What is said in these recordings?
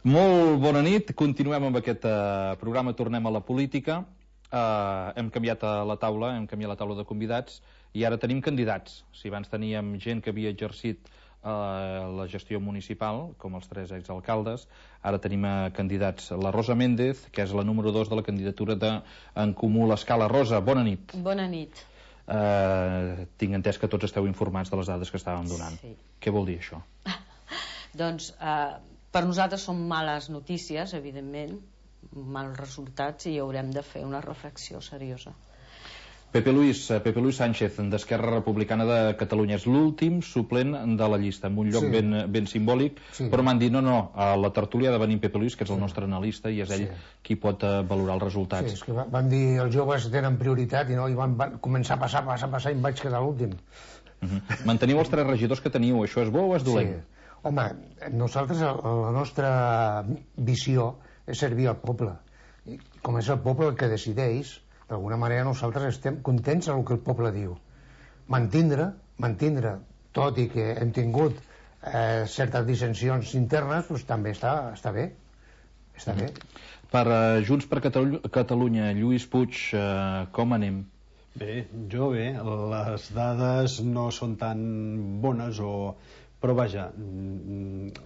Molt bona nit, continuem amb aquest programa Tornem a la política. Hem canviat la taula de convidats i ara tenim candidats. Si abans teníem gent que havia exercit la gestió municipal, com els 3 exalcaldes, ara tenim candidats. La Rosa Méndez, que és la número 2 de la candidatura d'en Comú l'Escala. Rosa, bona nit. Bona nit. Tinc entès que tots esteu informats de les dades que estàvem donant. Sí. Què vol dir això? Doncs per nosaltres són males notícies, evidentment, mals resultats, i haurem de fer una reflexió seriosa. Pepe Luis Sánchez, d'Esquerra Republicana de Catalunya, és l'últim suplent de la llista, en un lloc ben simbòlic, però m'han dit, no, a la tertúlia ha de venir Pepe Luis, que és el nostre analista, i és ell qui pot valorar els resultats. Sí, és que van dir els joves tenen prioritat i van començar a passar i em vaig quedar l'últim. Manteniu els 3 regidors que teniu, això és bo o és dolent? Sí. Home, nosaltres, la nostra visió és servir al poble. I com és el poble el que decideix, d'alguna manera nosaltres estem contents amb el que el poble diu. Mantindre, tot i que hem tingut certes dissensions internes, doncs també està bé. Està bé. Per Junts per Catalunya, Lluís Puig, com anem? Bé, les dades no són tan bones però vaja,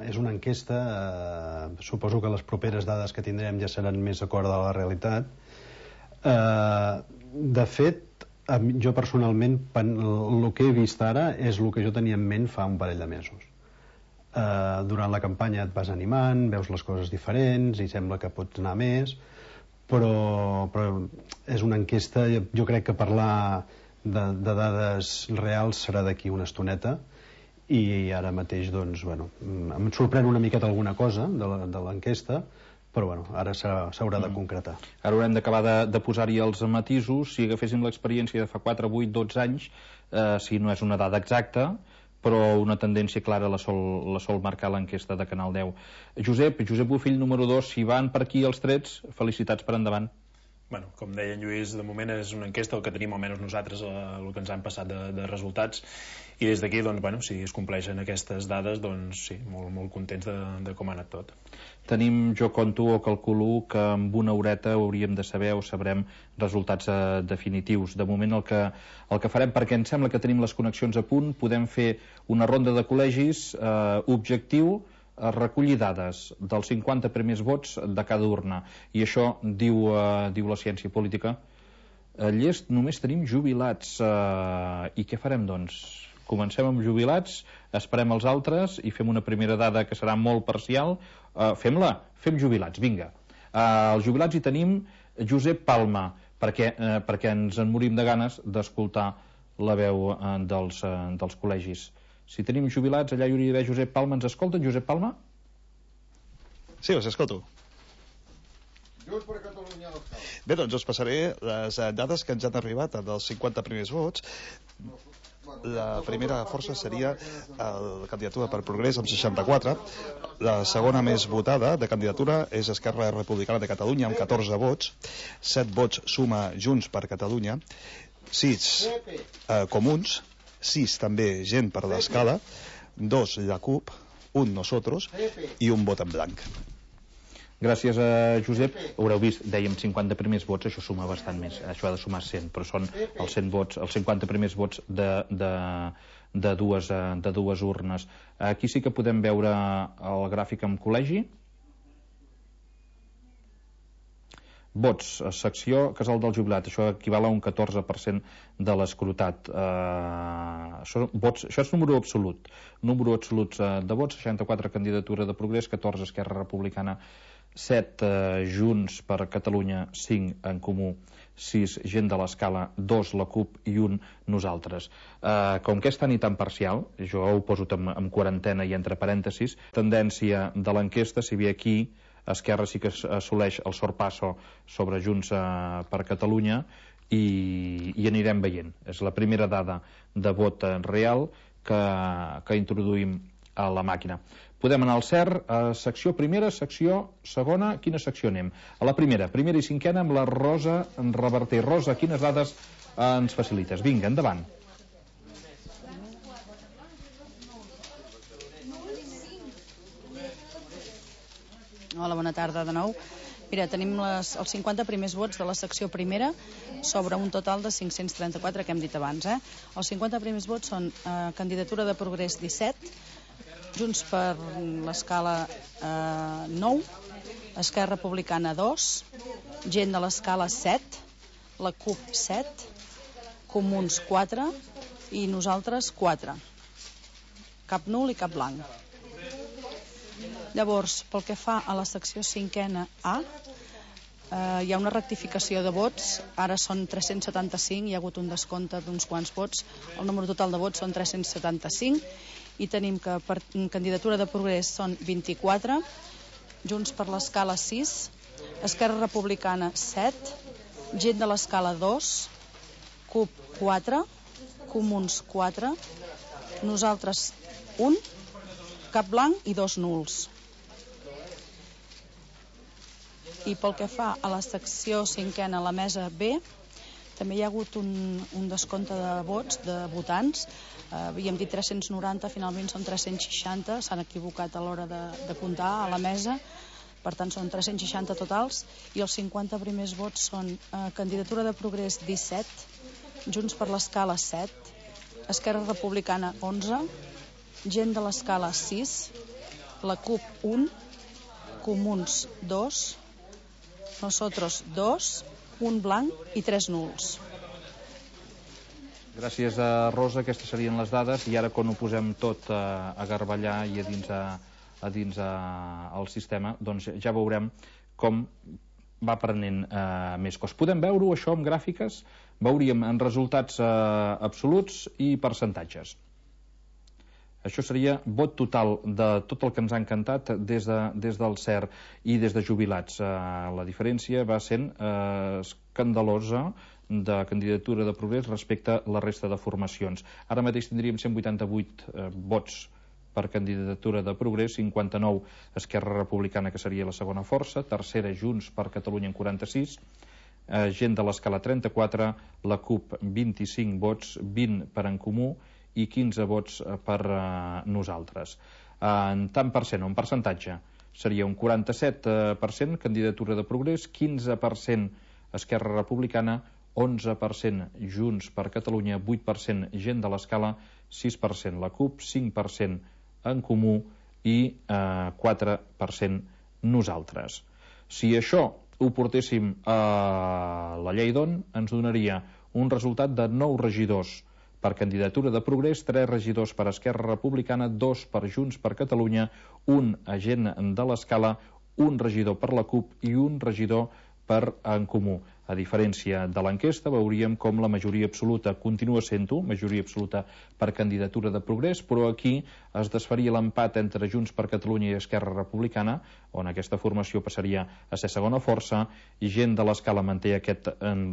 és una enquesta, suposo que les properes dades que tindrem ja seran més d'acord a la realitat. De fet, jo personalment el que he vist ara és el que jo tenia en ment fa un parell de mesos. Durant la campanya et vas animant, veus les coses diferents i sembla que pots anar més, però és una enquesta. Jo crec que parlar de dades reals serà d'aquí una estoneta, i ara mateix doncs, em sorprèn una miqueta alguna cosa de l'enquesta, però ara s'haurà de concretar. Ara haurem d'acabar de posar-hi els matisos. Si agaféssim l'experiència de fa 4, 8, 12 anys, si no és una dada exacta, però una tendència clara la sol marcar l'enquesta de Canal 10. Josep Bofill, número 2, si van per aquí els trets, felicitats per endavant. Bueno, com deia en Lluís, de moment és una enquesta, el que tenim almenys nosaltres, el que ens han passat de resultats, i des d'aquí, si es compleixen aquestes dades, doncs sí, molt contents de com ha anat tot. Jo conto o calculo que amb una horeta hauríem de saber o sabrem resultats definitius. De moment el que farem, perquè em sembla que tenim les connexions a punt, podem fer una ronda de col·legis, objectiu recollir dades dels 50 primers vots de cada urna, i això diu la ciència política. A Llest només tenim jubilats, i què farem doncs? Comencem amb jubilats, esperem els altres i fem una primera dada que serà molt parcial. Fem jubilats, vinga. Els jubilats hi tenim Josep Palma, perquè ens en morim de ganes d'escoltar la veu dels col·legis. Si tenim jubilats, allà hi hauria d'haver Josep Palma. Ens escolten, Josep Palma? Sí, us escolto. Junts per Catalunya l'Escala. Bé, doncs us passaré les dades que ens han arribat dels 50 primers vots. La primera força seria la candidatura per Progrés amb 64. La segona més votada de candidatura és Esquerra Republicana de Catalunya amb 14 vots. 7 vots suma Junts per Catalunya. 6 Comuns. 6 també Gent per l'Escala. 2 la CUP. 1 Nosotros i 1 vot en blanc. Gràcies a Josep. Haureu vist, dèiem 50 primers vots, això suma bastant més, això ha de sumar 100, però són els 100 vots, els 50 primers vots de dues urnes. Aquí sí que podem veure el gràfic amb col·legi. Vots, secció Casal del Jubilat, això equival a un 14% de l'escrutat. Això és número absolut de vots, 64 candidatura de Progrés, 14 Esquerra Republicana, 7 Junts per Catalunya, 5 en Comú, 6 Gent de l'Escala, 2 la CUP i 1 nosaltres. Com que és tan i tan parcial, jo ho poso en quarantena i entre parèntesis, tendència de l'enquesta, si bé aquí Esquerra sí que assoleix el sorpasso sobre Junts per Catalunya, i anirem veient. És la primera dada de vot real que introduïm a la màquina. Podem anar al CER, secció primera, secció segona. Quina secció anem? A la primera i cinquena, amb la Rosa Reverter. Rosa, quines dades ens facilites? Vinga, endavant. Hola, bona tarda de nou. Mira, tenim els 50 primers vots de la secció primera sobre un total de 534 que hem dit abans. Els 50 primers vots són Candidatura de Progrés 17, Junts per l'Escala 9, Esquerra Republicana 2, Gent de l'Escala 7, la CUP 7, Comuns 4 i nosaltres 4. Cap nul i cap blanc. Llavors, pel que fa a la secció 5a A, hi ha una rectificació de vots, ara són 375, hi ha hagut un descompte d'uns quants vots, el número total de vots són 375, i tenim que per Candidatura de Progrés són 24, Junts per l'Escala 6, Esquerra Republicana 7, Gent de l'Escala 2, CUP 4, Comuns 4, nosaltres 1, cap blanc i 2 nuls. I pel que fa a la secció 5a, la mesa B, també hi ha hagut un descompte de vots, de votants. Havíem dit 390, finalment són 360, s'han equivocat a l'hora de comptar a la mesa, per tant són 360 totals, i els 50 primers vots són Candidatura de Progrés 17, Junts per l'Escala 7, Esquerra Republicana 11, Gent de l'Escala 6, la CUP 1, Comuns 2, nosotros 2, un blanc i 3 nuls. Gràcies a Rosa, aquestes serien les dades, i ara quan ho posem tot a garballar i a dins el sistema, doncs ja veurem com va prenent més cos. Podem veure-ho, això, amb gràfiques? Veuríem en resultats absoluts i percentatges. Això seria vot total de tot el que ens ha encantat des del CERT i des de jubilats. La diferència va sent escandalosa de Candidatura de Progrés respecte a la resta de formacions. Ara mateix tindríem 188 vots per Candidatura de Progrés, 59 Esquerra Republicana, que seria la segona força, tercera Junts per Catalunya en 46, Gent de l'Escala 34, la CUP 25 vots, 20 per En Comú i 15 vots per nosaltres. En tant per cent o en percentatge seria un 47% Candidatura de Progrés, 15% Esquerra Republicana, 11% Junts per Catalunya, 8% Gent de l'Escala, 6% la CUP, 5% En Comú i 4% nosaltres. Si això ho portéssim a la llei d'on, ens donaria un resultat de 9 regidors per Candidatura de Progrés, 3 regidors per Esquerra Republicana, 2 per Junts per Catalunya, 1 Gent de l'Escala, 1 regidor per la CUP i 1 regidor per En Comú. A diferència de l'enquesta, veuríem com la majoria absoluta continua sent-ho, majoria absoluta per Candidatura de Progrés, però aquí es desfaria l'empat entre Junts per Catalunya i Esquerra Republicana, on aquesta formació passaria a ser segona força, i Gent de l'Escala manté aquest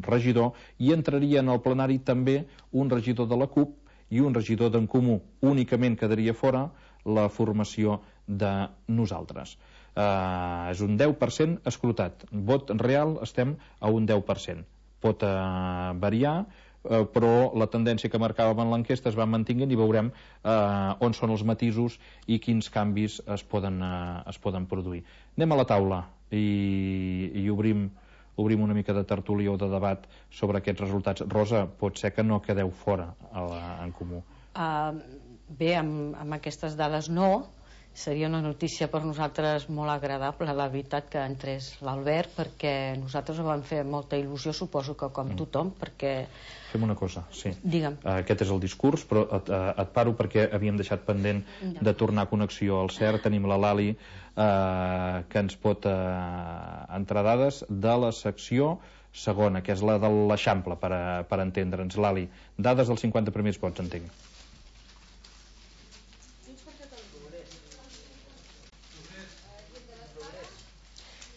regidor, i entraria en el plenari també un regidor de la CUP i un regidor d'En Comú. Únicament quedaria fora la formació de nosaltres. És un 10% escrutat. Vot real estem a un 10%. Pot variar, però la tendència que marcàvem en l'enquesta es va mantenint i veurem on són els matisos i quins canvis es poden produir. Anem a la taula i obrim una mica de tertúlia o de debat sobre aquests resultats. Rosa, pot ser que no quedeu fora En Comú? Bé, amb aquestes dades no. Seria una notícia per nosaltres molt agradable, la veritat, que entrés l'Albert, perquè nosaltres ho vam fer molta il·lusió, suposo que com tothom, perquè... Fem una cosa, sí. Digue'm. Aquest és el discurs, però et paro perquè havíem deixat pendent de tornar a connexió al CERT. Tenim la Lali, que ens pot entrar dades de la secció segona, que és la de l'Eixample, per entendre'ns. Lali, dades dels 50 primers vots, entenc.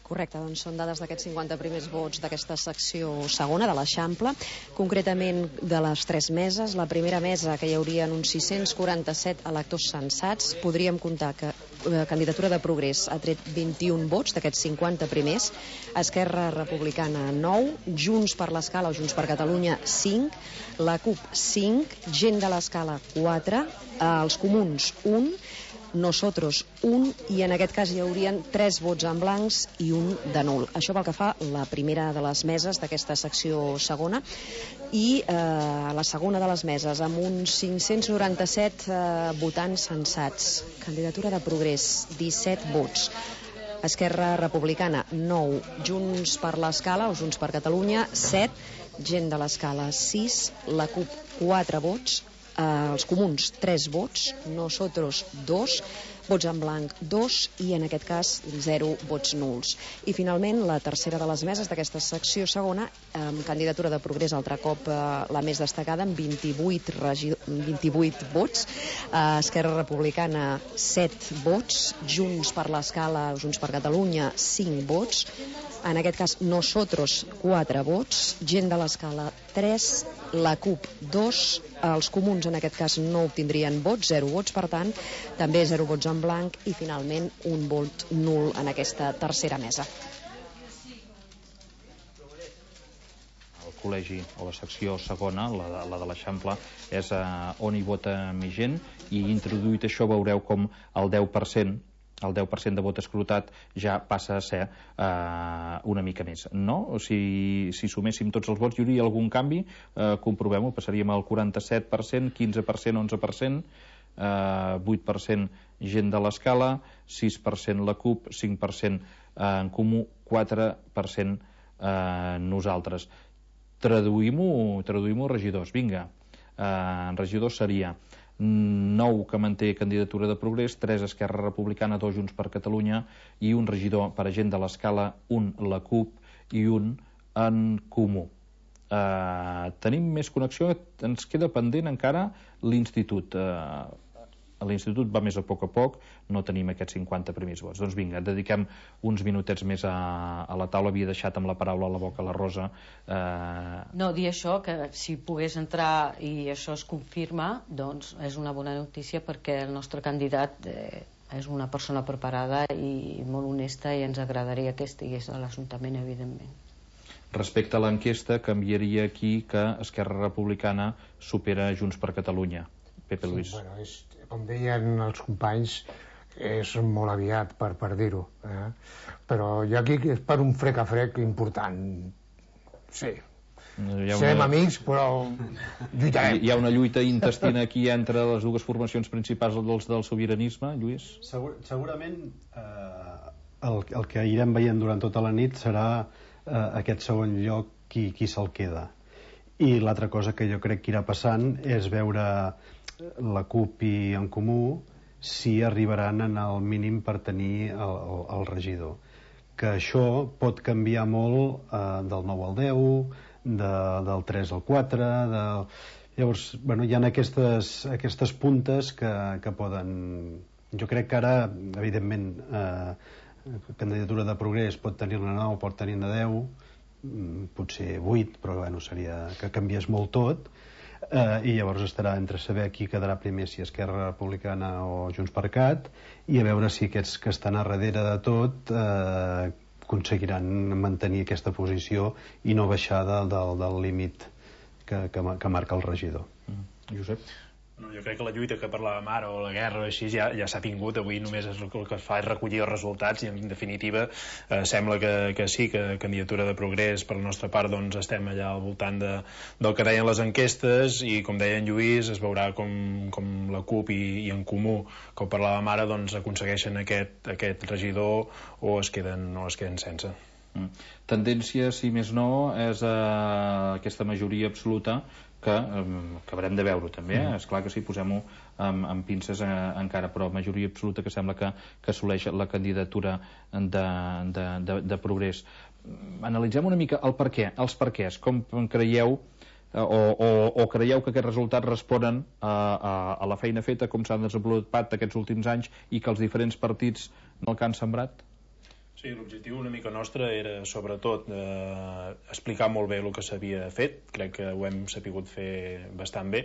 Correcte, doncs són dades d'aquests 50 primers vots d'aquesta secció segona de l'Eixample, concretament de les 3 meses. La primera mesa, que hi haurien uns 647 electors censats, podríem comptar que Candidatura de Progrés ha tret 21 vots d'aquests 50 primers, Esquerra Republicana 9, Junts per l'Escala o Junts per Catalunya 5, la CUP 5, Gent de l'Escala 4, els Comuns 1, Nosotros 1, i en aquest cas hi haurien 3 vots en blancs i 1 de nul. Això pel que fa a la primera de les meses d'aquesta secció segona. I la segona de les meses, amb uns 597 votants censats. Candidatura de Progrés, 17 vots. Esquerra Republicana, 9. Junts per l'Escala, o Junts per Catalunya, 7. Gent de l'Escala, 6. La CUP, 4 vots. Els Comuns, 3 vots. Nosotros, 2. Vots en blanc, 2. I en aquest cas, 0 vots nuls. I finalment, la tercera de les meses d'aquesta secció segona, amb candidatura de Progrés, altre cop la més destacada, amb 28 vots. Esquerra Republicana, 7 vots. Junts per l'Escala, Junts per Catalunya, 5 vots. En aquest cas, Nosotros, 4 vots. Gent de l'Escala, 3. La CUP, 2. Els Comuns, en aquest cas, no obtindrien vots, 0 vots, per tant, també 0 vots en blanc i, finalment, un vot nul en aquesta tercera mesa. El col·legi, o la secció segona, la de l'Eixample, és on hi vota més gent, i introduït això veureu com el 10% de vot escrutat ja passa a ser una mica més, no? Si suméssim tots els vots hi hauria algun canvi, comprovem-ho, passaríem al 47%, 15%, 11%, 8% gent de l'Escala, 6% la CUP, 5% en Comú, 4% nosaltres. Traduïm-ho a regidors, vinga. En regidors seria 9 que manté candidatura de Progrés, 3 Esquerra Republicana, 2 Junts per Catalunya i un regidor per a Gent de l'Escala, 1 la CUP i 1 en Comú. Tenim més connexió, ens queda pendent encara l'Institut. L'Institut va més a poc, no tenim aquests 50 primers vots. Doncs vinga, dediquem uns minutets més a la taula. Havia deixat amb la paraula a la boca la Rosa. No, dir això, que si pogués entrar i això es confirma, doncs és una bona notícia, perquè el nostre candidat és una persona preparada i molt honesta, i ens agradaria que estigués a l'Ajuntament, evidentment. Respecte a l'enquesta, canviaria aquí que Esquerra Republicana supera Junts per Catalunya. Pepe Luis. Sí, bueno, com deien els companys, és molt aviat per dir-ho, però jo aquí és per un frec a frec important. Sí, serem amics, però lluitarem. Hi ha una lluita intestina aquí entre les dues formacions principals del sobiranisme, Lluís? Segurament el que irem veient durant tota la nit serà aquest segon lloc qui se'l queda. I l'altra cosa que jo crec que irà passant és veure la CUP i en Comú si arribaran en el mínim per tenir el regidor. Que això pot canviar molt del 9 al 10, del 3 al 4... Llavors, hi ha aquestes puntes que poden... Jo crec que ara, evidentment, candidatura de Progrés pot tenir-ne 9, pot tenir-ne 10, potser 8, però seria que canvies molt tot. I llavors estarà entre saber qui quedarà primer, si Esquerra Republicana o Junts per Cat, i a veure si aquests que estan a darrere de tot aconseguiran mantenir aquesta posició i no baixar del límit que marca el regidor. Josep? No, jo crec que la lluita que parlàvem ara, o la guerra o així, ja s'ha tingut. Avui només el que es fa és recollir els resultats, i en definitiva sembla que sí, que candidatura de Progrés per la nostra part, doncs estem allà al voltant del que deien les enquestes, i com deia en Lluís, es veurà com la CUP i en Comú, que ho parlàvem ara, doncs aconsegueixen aquest regidor o es queden sense. Tendència, si més no, és aquesta majoria absoluta que haurem de veure també, és clar que sí, posem-ho amb pinces encara, però majoria absoluta que sembla que assoleix la candidatura de Progrés. Analitzem una mica el per què, els perquès, com creieu o creieu que aquests resultats responen a la feina feta, com s'han desenvolupat aquests últims anys i que els diferents partits no el que han sembrat? Sí, l'objectiu una mica nostre era sobretot explicar molt bé el que s'havia fet, crec que ho hem sapigut fer bastant bé,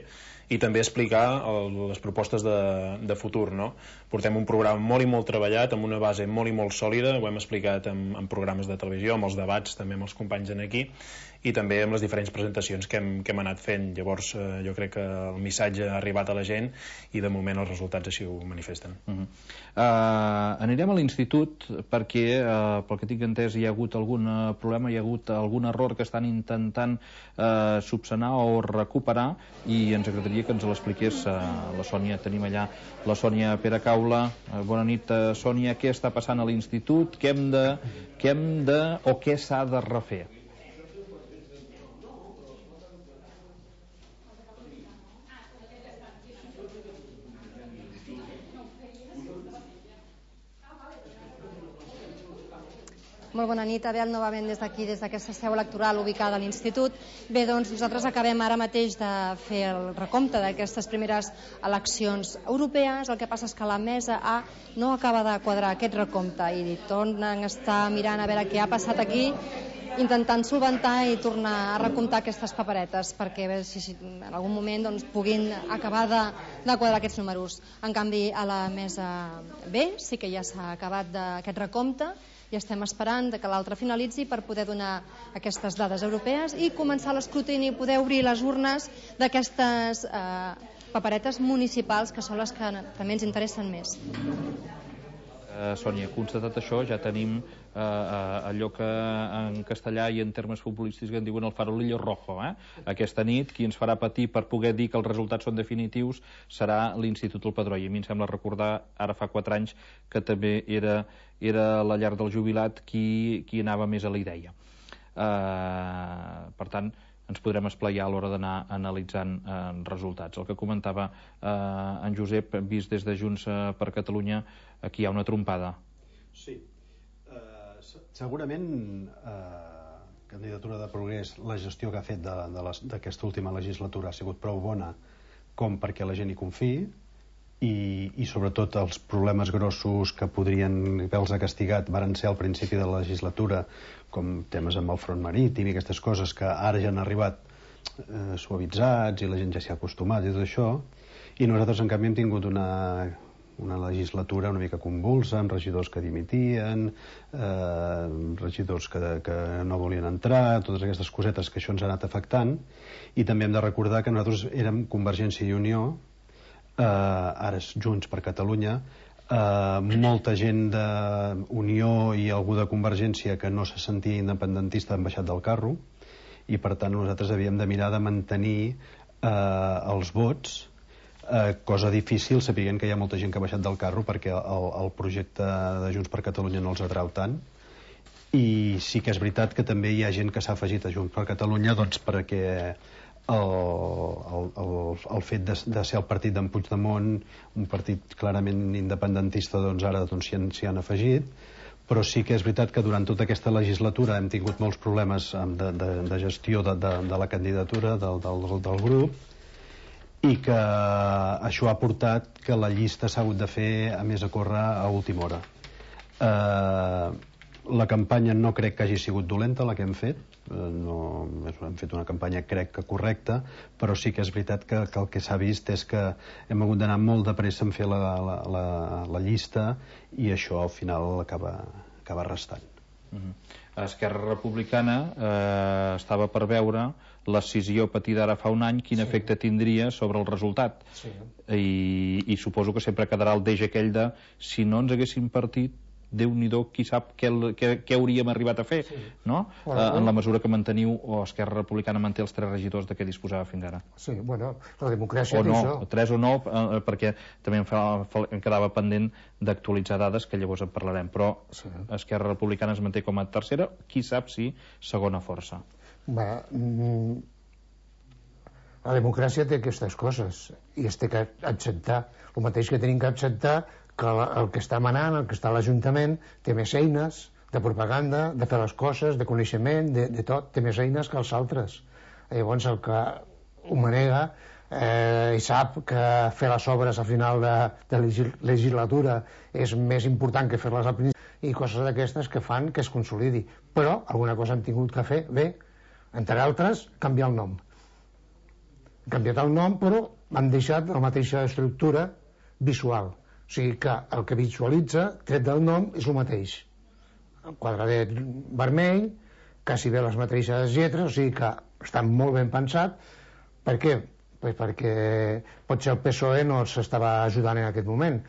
i també explicar les propostes de futur, no? Portem un programa molt i molt treballat, amb una base molt i molt sòlida, ho hem explicat en programes de televisió, amb els debats, també amb els companys aquí, i també amb les diferents presentacions que hem anat fent. Llavors jo crec que el missatge ha arribat a la gent i de moment els resultats així ho manifesten. Anirem a l'institut perquè pel que tinc entès hi ha hagut algun problema, hi ha hagut algun error que estan intentant subsanar o recuperar i ens agradaria que ens l'expliqués la Sònia. Tenim allà la Sònia Peracaula. Bona nit, Sònia. Què està passant a l'institut? Què hem de o què s'ha de refer? Molt bona nit, Abel, novament des d'aquí, des d'aquesta seu electoral ubicada a l'Institut. Bé, doncs nosaltres acabem ara mateix de fer el recompte d'aquestes primeres eleccions europees. El que passa és que la mesa A no acaba de quadrar aquest recompte i tornen a estar mirant a veure què ha passat aquí, intentant solventar i tornar a recomptar aquestes paperetes perquè si en algun moment doncs, puguin acabar de quadrar aquests números. En canvi, a la mesa B sí que ja s'ha acabat aquest recompte i estem esperant que l'altre finalitzi per poder donar aquestes dades europees i començar l'escrutini i poder obrir les urnes d'aquestes paperetes municipals que són les que també ens interessen més. Sònia, constatat això, ja tenim allò que en castellà i en termes futbolístics en diuen el farolillo rojo. Aquesta nit qui ens farà patir per poder dir que els resultats són definitius serà l'Institut El Padró, i a mi em sembla recordar ara fa 4 anys que també era la llar del jubilat qui anava més a la idea. Per tant, ens podrem esplaiar a l'hora d'anar analitzant resultats. El que comentava en Josep, vist des de Junts per Catalunya, aquí hi ha una trompada. Sí. Segurament, Candidatura de Progrés, la gestió que ha fet d'aquesta última legislatura ha sigut prou bona com perquè la gent hi confiï i sobretot els problemes grossos que podrien haver-los castigat varen ser al principi de la legislatura, com temes amb el front marítim i aquestes coses que ara ja han arribat suavitzats i la gent ja s'hi ha acostumat i tot això, i nosaltres en canvi hem tingut una legislatura una mica convulsa, amb regidors que dimitien, regidors que no volien entrar, totes aquestes cosetes que això ens ha anat afectant. I també hem de recordar que nosaltres érem Convergència i Unió, ara és Junts per Catalunya, molta gent d'Unió i algú de Convergència que no se sentia independentista han baixat del carro i per tant nosaltres havíem de mirar de mantenir els vots, cosa difícil sapiguent que hi ha molta gent que ha baixat del carro perquè el projecte de Junts per Catalunya no els atrau tant. I sí que és veritat que també hi ha gent que s'ha afegit a Junts per Catalunya doncs perquè el fet de ser el partit d'en Puigdemont, un partit clarament independentista, doncs ara s'hi han afegit, però sí que és veritat que durant tota aquesta legislatura hem tingut molts problemes de gestió de la candidatura del grup i que això ha portat que la llista s'ha hagut de fer a més a córrer a última hora. La campanya no crec que hagi sigut dolenta la que hem fet, hem fet una campanya crec que correcta, però sí que és veritat que el que s'ha vist és que hem hagut d'anar molt de pressa en fer la llista i això al final acaba restant. Esquerra Republicana estava per veure l'escissió patida ara fa un any, quin efecte tindria sobre el resultat. I suposo que sempre quedarà el deix aquell de si no ens haguéssim partit, Déu-n'hi-do, qui sap què hauríem arribat a fer, no? En la mesura que manteniu, o Esquerra Republicana manté els 3 regidors de què disposava fins ara. Sí, bueno, la democràcia té això. O 3 o no, perquè també em quedava pendent d'actualitzar dades, que llavors en parlarem, però Esquerra Republicana es manté com a tercera, qui sap si segona força. La democràcia té aquestes coses i es té que acceptar. El mateix que tenim que acceptar que el que està manant, el que està a l'Ajuntament, té més eines de propaganda, de fer les coses, de coneixement, de tot, té més eines que els altres. Llavors el que ho manega i sap que fer les obres al final de legislatura és més important que fer-les al principi i coses d'aquestes que fan que es consolidi. Però alguna cosa hem tingut que fer bé, entre altres, canviar el nom. Hem canviat el nom, però han deixat la mateixa estructura visual. O sigui que el que visualitza, tret del nom, és el mateix. El quadradet vermell, quasi bé les mateixes lletres, o sigui que està molt ben pensat. Per què? Pues perquè potser el PSOE no s'estava ajudant en aquest moment,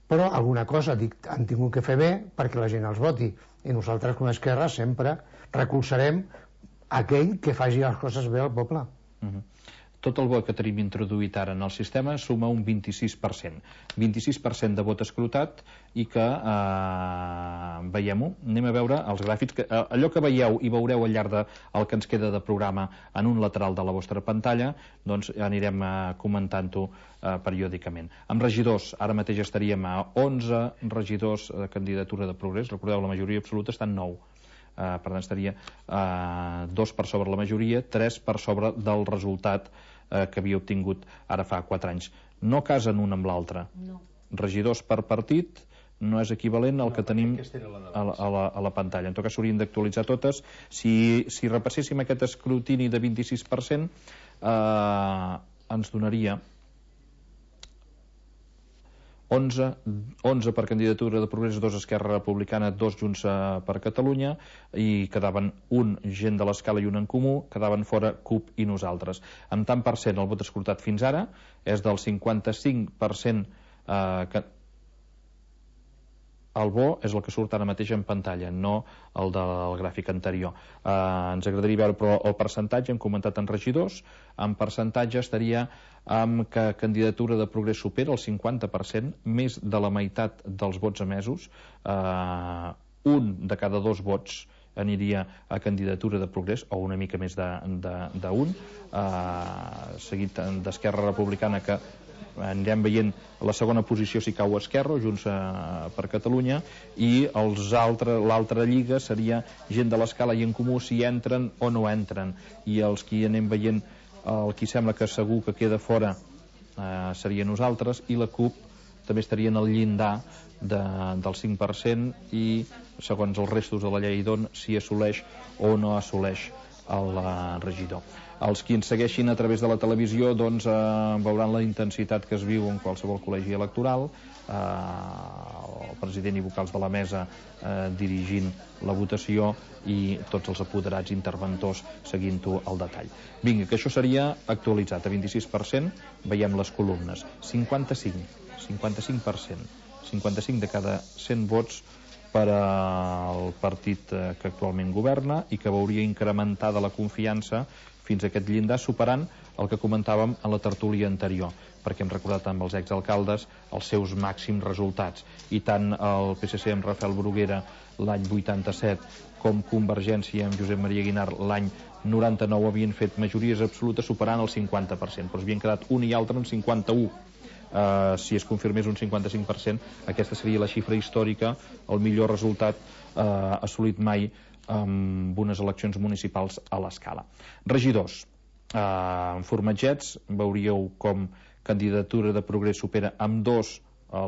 però alguna cosa han tingut que fer bé perquè la gent els voti, i nosaltres com a Esquerra sempre recolzarem aquell que faci les coses bé al poble. Tot el vot que tenim introduït ara en el sistema suma un 26%. 26% de vot escrutat, i que, veiem-ho, anem a veure els gràfics, allò que veieu i veureu al llarg del que ens queda de programa en un lateral de la vostra pantalla, doncs anirem comentant-ho periòdicament. Amb regidors, ara mateix estaríem a 11 regidors de candidatura de Progrés. Recordeu, la majoria absoluta està en 9. Per tant, estaria 2 per sobre la majoria, 3 per sobre del resultat que havia obtingut ara fa 4 anys. No casen un amb l'altre. No. Regidors per partit no és equivalent al que tenim a la pantalla. En tot cas, s'haurien d'actualitzar totes. Si repasséssim aquest escrutini de 26%, ens donaria 11 per candidatura de Progrés, 2 Esquerra Republicana, 2 Junts per Catalunya, i quedaven un Gent de l'Escala i un En Comú, quedaven fora CUP i nosaltres. Amb tant per cent, el vot escrutat fins ara és del 55%. El bo és el que surt ara mateix en pantalla, no el del gràfic anterior. Ens agradaria veure però el percentatge. Hem comentat en regidors. En percentatge estaria amb que candidatura de Progrés supera el 50%, més de la meitat dels vots emesos. Un de cada 2 vots aniria a candidatura de Progrés, o una mica més d'un, seguit d'Esquerra Republicana, que anirem veient la segona posició si cau Esquerra o Junts per Catalunya, i l'altra lliga seria Gent de l'Escala i En Comú, si entren o no entren, i els que anem veient, el qui sembla que segur que queda fora seria nosaltres, i la CUP també estaria en el llindar del 5%, i segons els restos de la llei d'on si assoleix o no assoleix el regidor. Els qui ens segueixin a través de la televisió doncs veuran la intensitat que es viu en qualsevol col·legi electoral, el president i vocals de la mesa dirigint la votació i tots els apoderats interventors seguint-ho al detall. Vinga, que això seria actualitzat a 26%. Veiem les columnes: 55%, 55 de cada 100 vots per al partit que actualment governa i que veuria incrementada la confiança fins a aquest llindar, superant el que comentàvem a la tertúlia anterior, perquè hem recordat amb els exalcaldes els seus màxims resultats, i tant el PSC amb Rafael Bruguera l'any 87 com Convergència amb Josep Maria Aguinar l'any 99 havien fet majories absolutes superant el 50%, però havien quedat un i altre en 51%. Si es confirmés un 55%, aquesta seria la xifra històrica, el millor resultat assolit mai amb unes eleccions municipals a l'Escala. Regidors, en formatgets veuríeu com candidatura de Progrés supera amb 2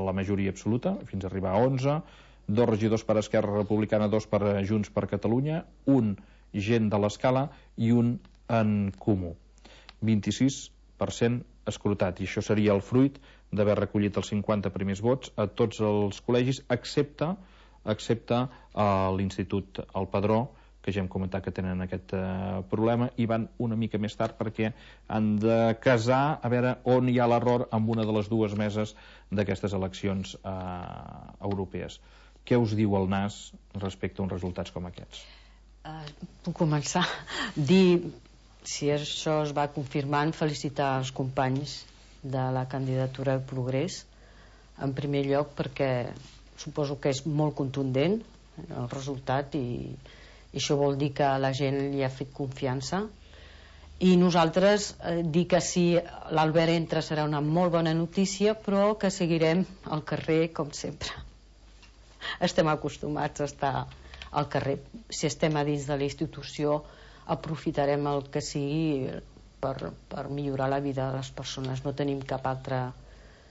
la majoria absoluta, fins a arribar a 11, 2 regidors per Esquerra Republicana, 2 per Junts per Catalunya, un Gent de l'Escala i un En Comú. 26% escrutat, i això seria el fruit d'haver recollit els 50 primers vots a tots els col·legis, excepte l'Institut El Padró, que ja hem comentat que tenen aquest problema, i van una mica més tard perquè han de casar a veure on hi ha l'error amb una de les 2 meses d'aquestes eleccions europees. Què us diu el NAS respecte a uns resultats com aquests? Puc començar a dir, si això es va confirmant, felicitar els companys de la candidatura de Progrés, en primer lloc perquè suposo que és molt contundent el resultat, i això vol dir que la gent li ha fet confiança, i nosaltres dir que si l'Albert entra serà una molt bona notícia, però que seguirem al carrer com sempre. Estem acostumats a estar al carrer. Si estem a dins de la institució, aprofitarem el que sigui per millorar la vida de les persones. No tenim cap altra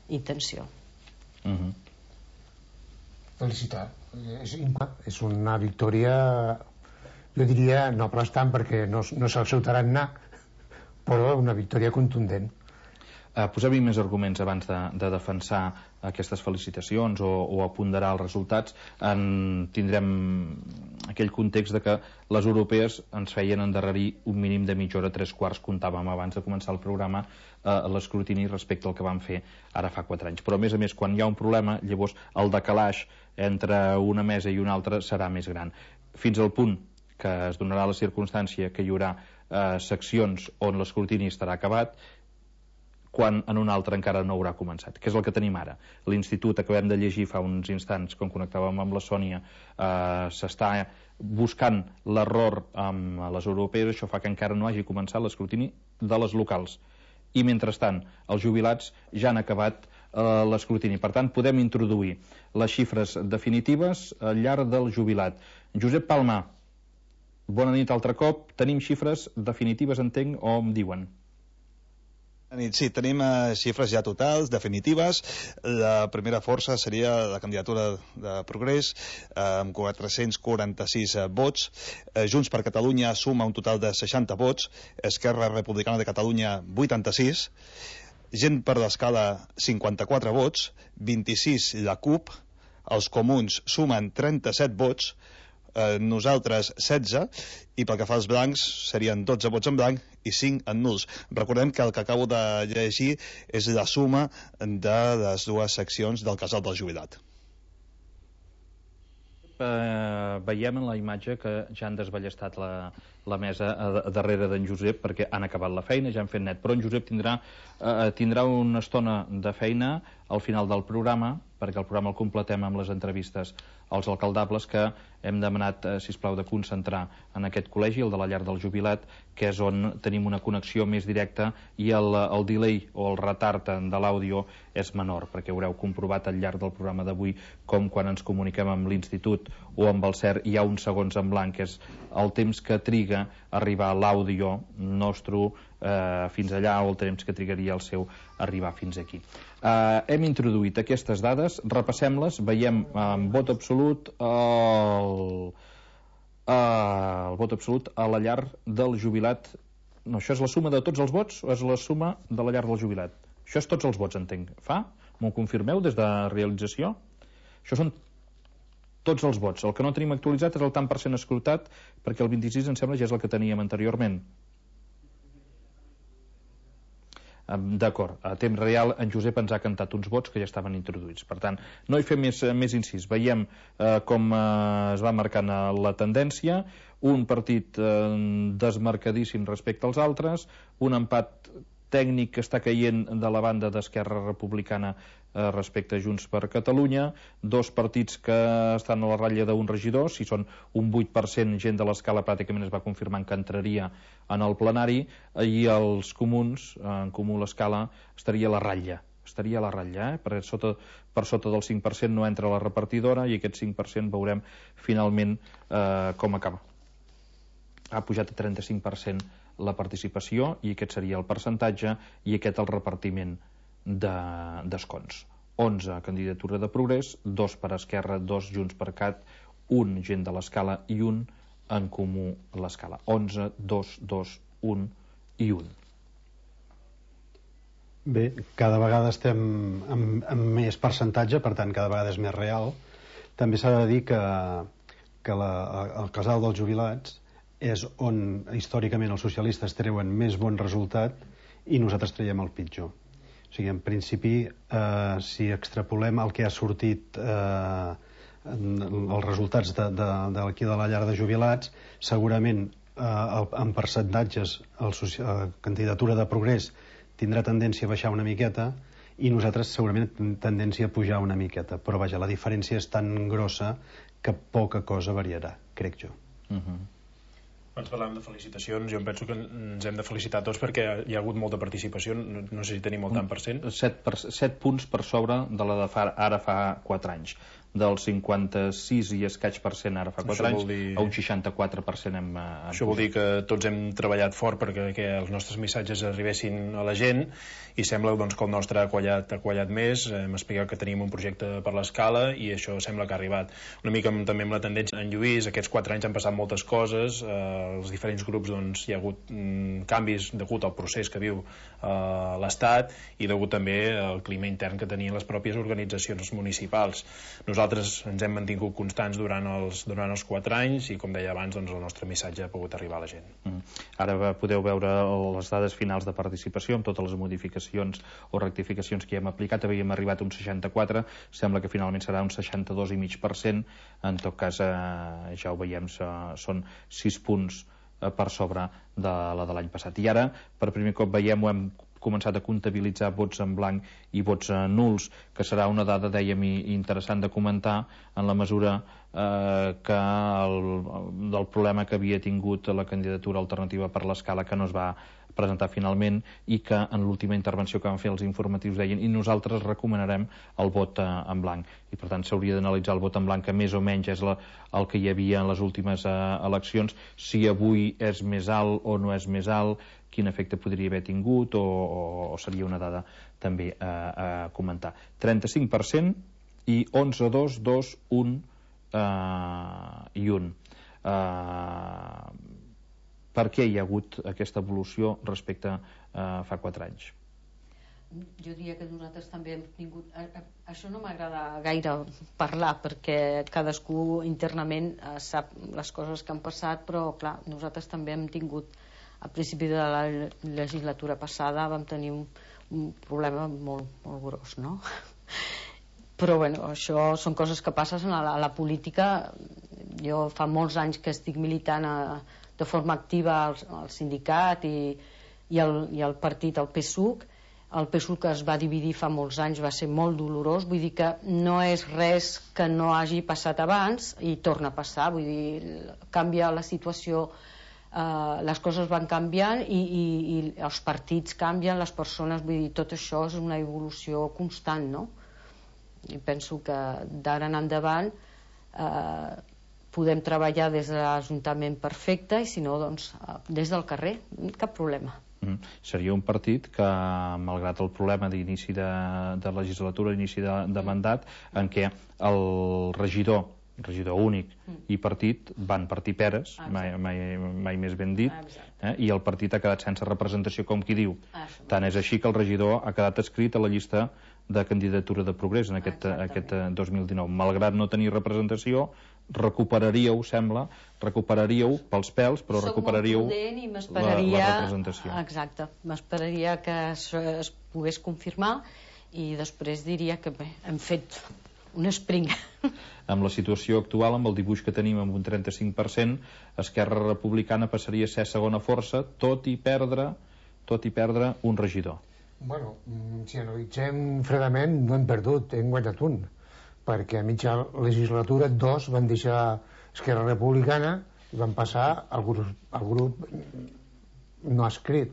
intenció. Felicitar. És una victòria, jo diria, no aplastant perquè no és el seu tarannà, però una victòria contundent. Posem-hi més arguments abans de defensar aquestes felicitacions o a ponderar els resultats. Tindrem aquell context de que les europees ens feien endarrerir un mínim de mitja hora, 3/4, comptàvem abans de començar el programa, l'escrutini respecte al que vam fer ara fa 4 anys. Però a més, quan hi ha un problema, llavors el decalaix entre una mesa i una altra serà més gran, fins al punt que es donarà la circumstància que hi haurà seccions on l'escrutini estarà acabat, quan en un altre encara no haurà començat, que és el que tenim ara. L'Institut, acabem de llegir fa uns instants, quan connectàvem amb la Sònia, s'està buscant l'error amb les europees, això fa que encara no hagi començat l'escrutini de les locals. I mentrestant, els jubilats ja han acabat l'escrutini. Per tant, podem introduir les xifres definitives al llarg del jubilat. Josep Palma, bona nit altre cop. Tenim xifres definitives, entenc, o em diuen? Sí, tenim xifres ja totals, definitives. La primera força seria la candidatura de Progrés, amb 446 vots. Junts per Catalunya suma un total de 60 vots. Esquerra Republicana de Catalunya, 86. Gent per l'Escala, 54 vots. 26 la CUP. Els Comuns sumen 37 vots. Nosaltres 16, i pel que fa als blancs serien 12 vots en blanc i 5 en nuls. Recordem que el que acabo de llegir és la suma de les dues seccions del casal del jubilat. Veiem en la imatge que ja han desballestat la mesa darrere d'en Josep, perquè han acabat la feina, ja han fet net, però en Josep tindrà una estona de feina al final del programa, perquè el programa el completem amb les entrevistes als alcaldables, que hem demanat, sisplau, de concentrar en aquest col·legi, el de la llar del jubilat, que és on tenim una connexió més directa i el delay o el retard de l'àudio és menor, perquè haureu comprovat al llarg del programa d'avui com quan ens comuniquem amb l'Institut o amb el CER hi ha uns segons en blanc, que és el temps que triga a arribar l'àudio nostre fins allà, o el temps que trigaria el seu arribar fins aquí. Hem introduït aquestes dades, repassem-les, veiem en vot absolut el vot absolut a la llar del jubilat. No, això és la suma de tots els vots o és la suma de la llar del jubilat? Això és tots els vots, entenc. M'ho confirmeu des de realització? Això són tots els vots. El que no tenim actualitzat és el tant per cent escrutat, perquè el 26 em sembla ja és el que teníem anteriorment. D'acord, a temps real en Josep ens ha cantat uns vots que ja estaven introduïts. Per tant, no hi fem més incís. Veiem com es va marcant la tendència, un partit desmarcadíssim respecte als altres, un empat tècnic que està caient de la banda d'Esquerra Republicana respecte a Junts per Catalunya, dos partits que estan a la ratlla d'un regidor, si són un 8%, gent de l'Escala pràcticament es va confirmant que entraria en el plenari, i els comuns, en Comú l'Escala, estaria a la ratlla, per sota del 5% no entra la repartidora, i aquest 5% veurem finalment com acaba. Ha pujat a 35% la participació, i aquest seria el percentatge, i aquest el repartiment d'escons. 11 candidatura de Progrés, 2 per Esquerra, 2 Junts per Cat, 1 gent de l'Escala i 1 en Comú l'Escala. 11, 2, 2, 1 i 1. Bé, cada vegada estem amb més percentatge, per tant cada vegada és més real. També s'ha de dir que el casal dels jubilats és on històricament els socialistes treuen més bon resultat i nosaltres traiem el pitjor. O sigui, en principi, si extrapolem el que ha sortit els resultats d'aquí de la llar de jubilats, segurament en percentatges la candidatura de Progrés tindrà tendència a baixar una miqueta i nosaltres segurament tendència a pujar una miqueta, però vaja, la diferència és tan grossa que poca cosa variarà, crec jo. Abans parlàvem de felicitacions, jo em penso que ens hem de felicitar tots perquè hi ha hagut molta participació, no sé si tenim el tant per cent. 7 punts per sobre de la de ara fa 4 anys. del 56 i escaig per cent ara fa 4 anys a un 64% hem Això vol dir que tots hem treballat fort perquè els nostres missatges arribessin a la gent, i sembla doncs, que el nostre ha quallat més. Hem explicat que tenim un projecte per l'escala i això sembla que ha arribat. Una mica també amb la tendència en Lluís, aquests 4 anys han passat moltes coses, els diferents grups hi ha hagut canvis degut al procés que viu l'Estat i degut també al clima intern que tenien les pròpies organitzacions municipals. Nosaltres ens hem mantingut constants durant els 4 anys i, com deia abans, doncs, el nostre missatge ha pogut arribar a la gent. Ara podeu veure les dades finals de participació amb totes les modificacions o rectificacions que hi hem aplicat. Havíem arribat a un 64, sembla que finalment serà un 62,5%. En tot cas, ja ho veiem, són 6 punts per sobre de la de l'any passat. I ara, per primer cop veiem, ho hem començat a comptabilitzar vots en blanc i vots nuls, que serà una dada, dèiem, interessant de comentar en la mesura que del problema que havia tingut la candidatura alternativa per l'escala, que no es va presentar finalment, i que en l'última intervenció que van fer els informatius deien i nosaltres recomanarem el vot en blanc, i per tant s'hauria d'analitzar el vot en blanc, que més o menys és el que hi havia en les últimes eleccions, si avui és més alt o no és més alt, quin efecte podria haver tingut, o seria una dada també a comentar. 35% i 11, 2, 2, 1 i 1. Per què hi ha hagut aquesta evolució respecte a fa 4 anys? Jo diria que nosaltres també hem tingut... Això no m'agrada gaire parlar, perquè cadascú internament sap les coses que han passat, però clar, nosaltres també hem tingut, a principi de la legislatura passada vam tenir un problema molt gros, no? Però bueno, això són coses que passen a la política. Jo fa molts anys que estic militant de forma activa al sindicat i al partit, al PSUC. El PSUC es va dividir fa molts anys, va ser molt dolorós, vull dir que no és res que no hagi passat abans i torna a passar, vull dir, canvia la situació, les coses van canviant i els partits canvien, les persones, vull dir, tot això és una evolució constant, no? I penso que d'ara en endavant podem treballar des de l'Ajuntament perfecte, i si no, doncs des del carrer, cap problema. Seria un partit que, malgrat el problema d'inici de legislatura, inici de mandat, en què el regidor únic i partit van partir peres, mai més ben dit, i el partit ha quedat sense representació, com qui diu. Tant és així que el regidor ha quedat escrit a la llista de candidatura de Progrés en aquest 2019. Malgrat no tenir representació, recuperaríeu pels pèls, però recuperaríeu la representació. Exacte, m'esperaria que això es pogués confirmar i després diria que bé, hem fet un sprint. Amb la situació actual, amb el dibuix que tenim amb un 35%, Esquerra Republicana passaria a ser segona força, tot i perdre un regidor. Bueno, si analitzem fredament, no hem perdut, hem guanyat un, perquè a mitja legislatura 2 van deixar Esquerra Republicana i van passar al grup no escrit.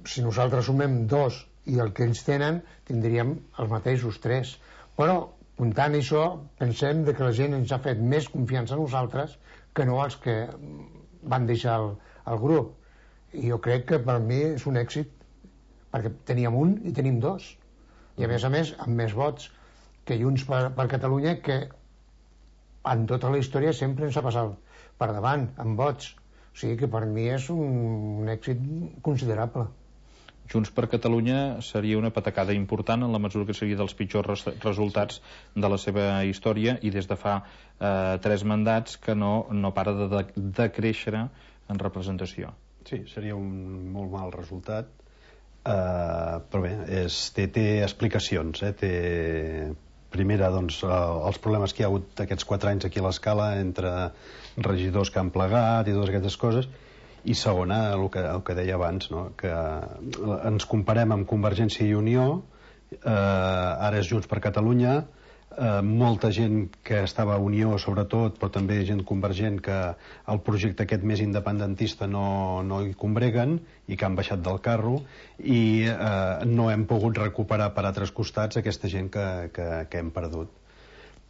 Si nosaltres sumem 2 i el que ells tenen, tindríem els mateixos 3. Però, comptant això, pensem que la gent ens ha fet més confiança a nosaltres que no els que van deixar el grup. I jo crec que per mi és un èxit, perquè teníem un i tenim 2, i a més amb més vots que Junts per Catalunya, que en tota la història sempre ens ha passat per davant amb vots, o sigui que per mi és un èxit considerable. Junts per Catalunya seria una patacada important en la mesura que seria dels pitjors resultats de la seva història, i des de fa 3 mandats que no para de créixer en representació. Sí, seria un molt mal resultat. Però bé, té explicacions, primera, doncs, els problemes que hi ha hagut aquests 4 anys aquí a l'Escala entre regidors que han plegat i totes aquestes coses, i segona, el que deia abans, no? Que ens comparem amb Convergència i Unió, ara és Junts per Catalunya, molta gent que estava a Unió sobretot, però també gent convergent, que el projecte aquest més independentista no hi combreguen i que han baixat del carro, i no hem pogut recuperar per altres costats aquesta gent que hem perdut.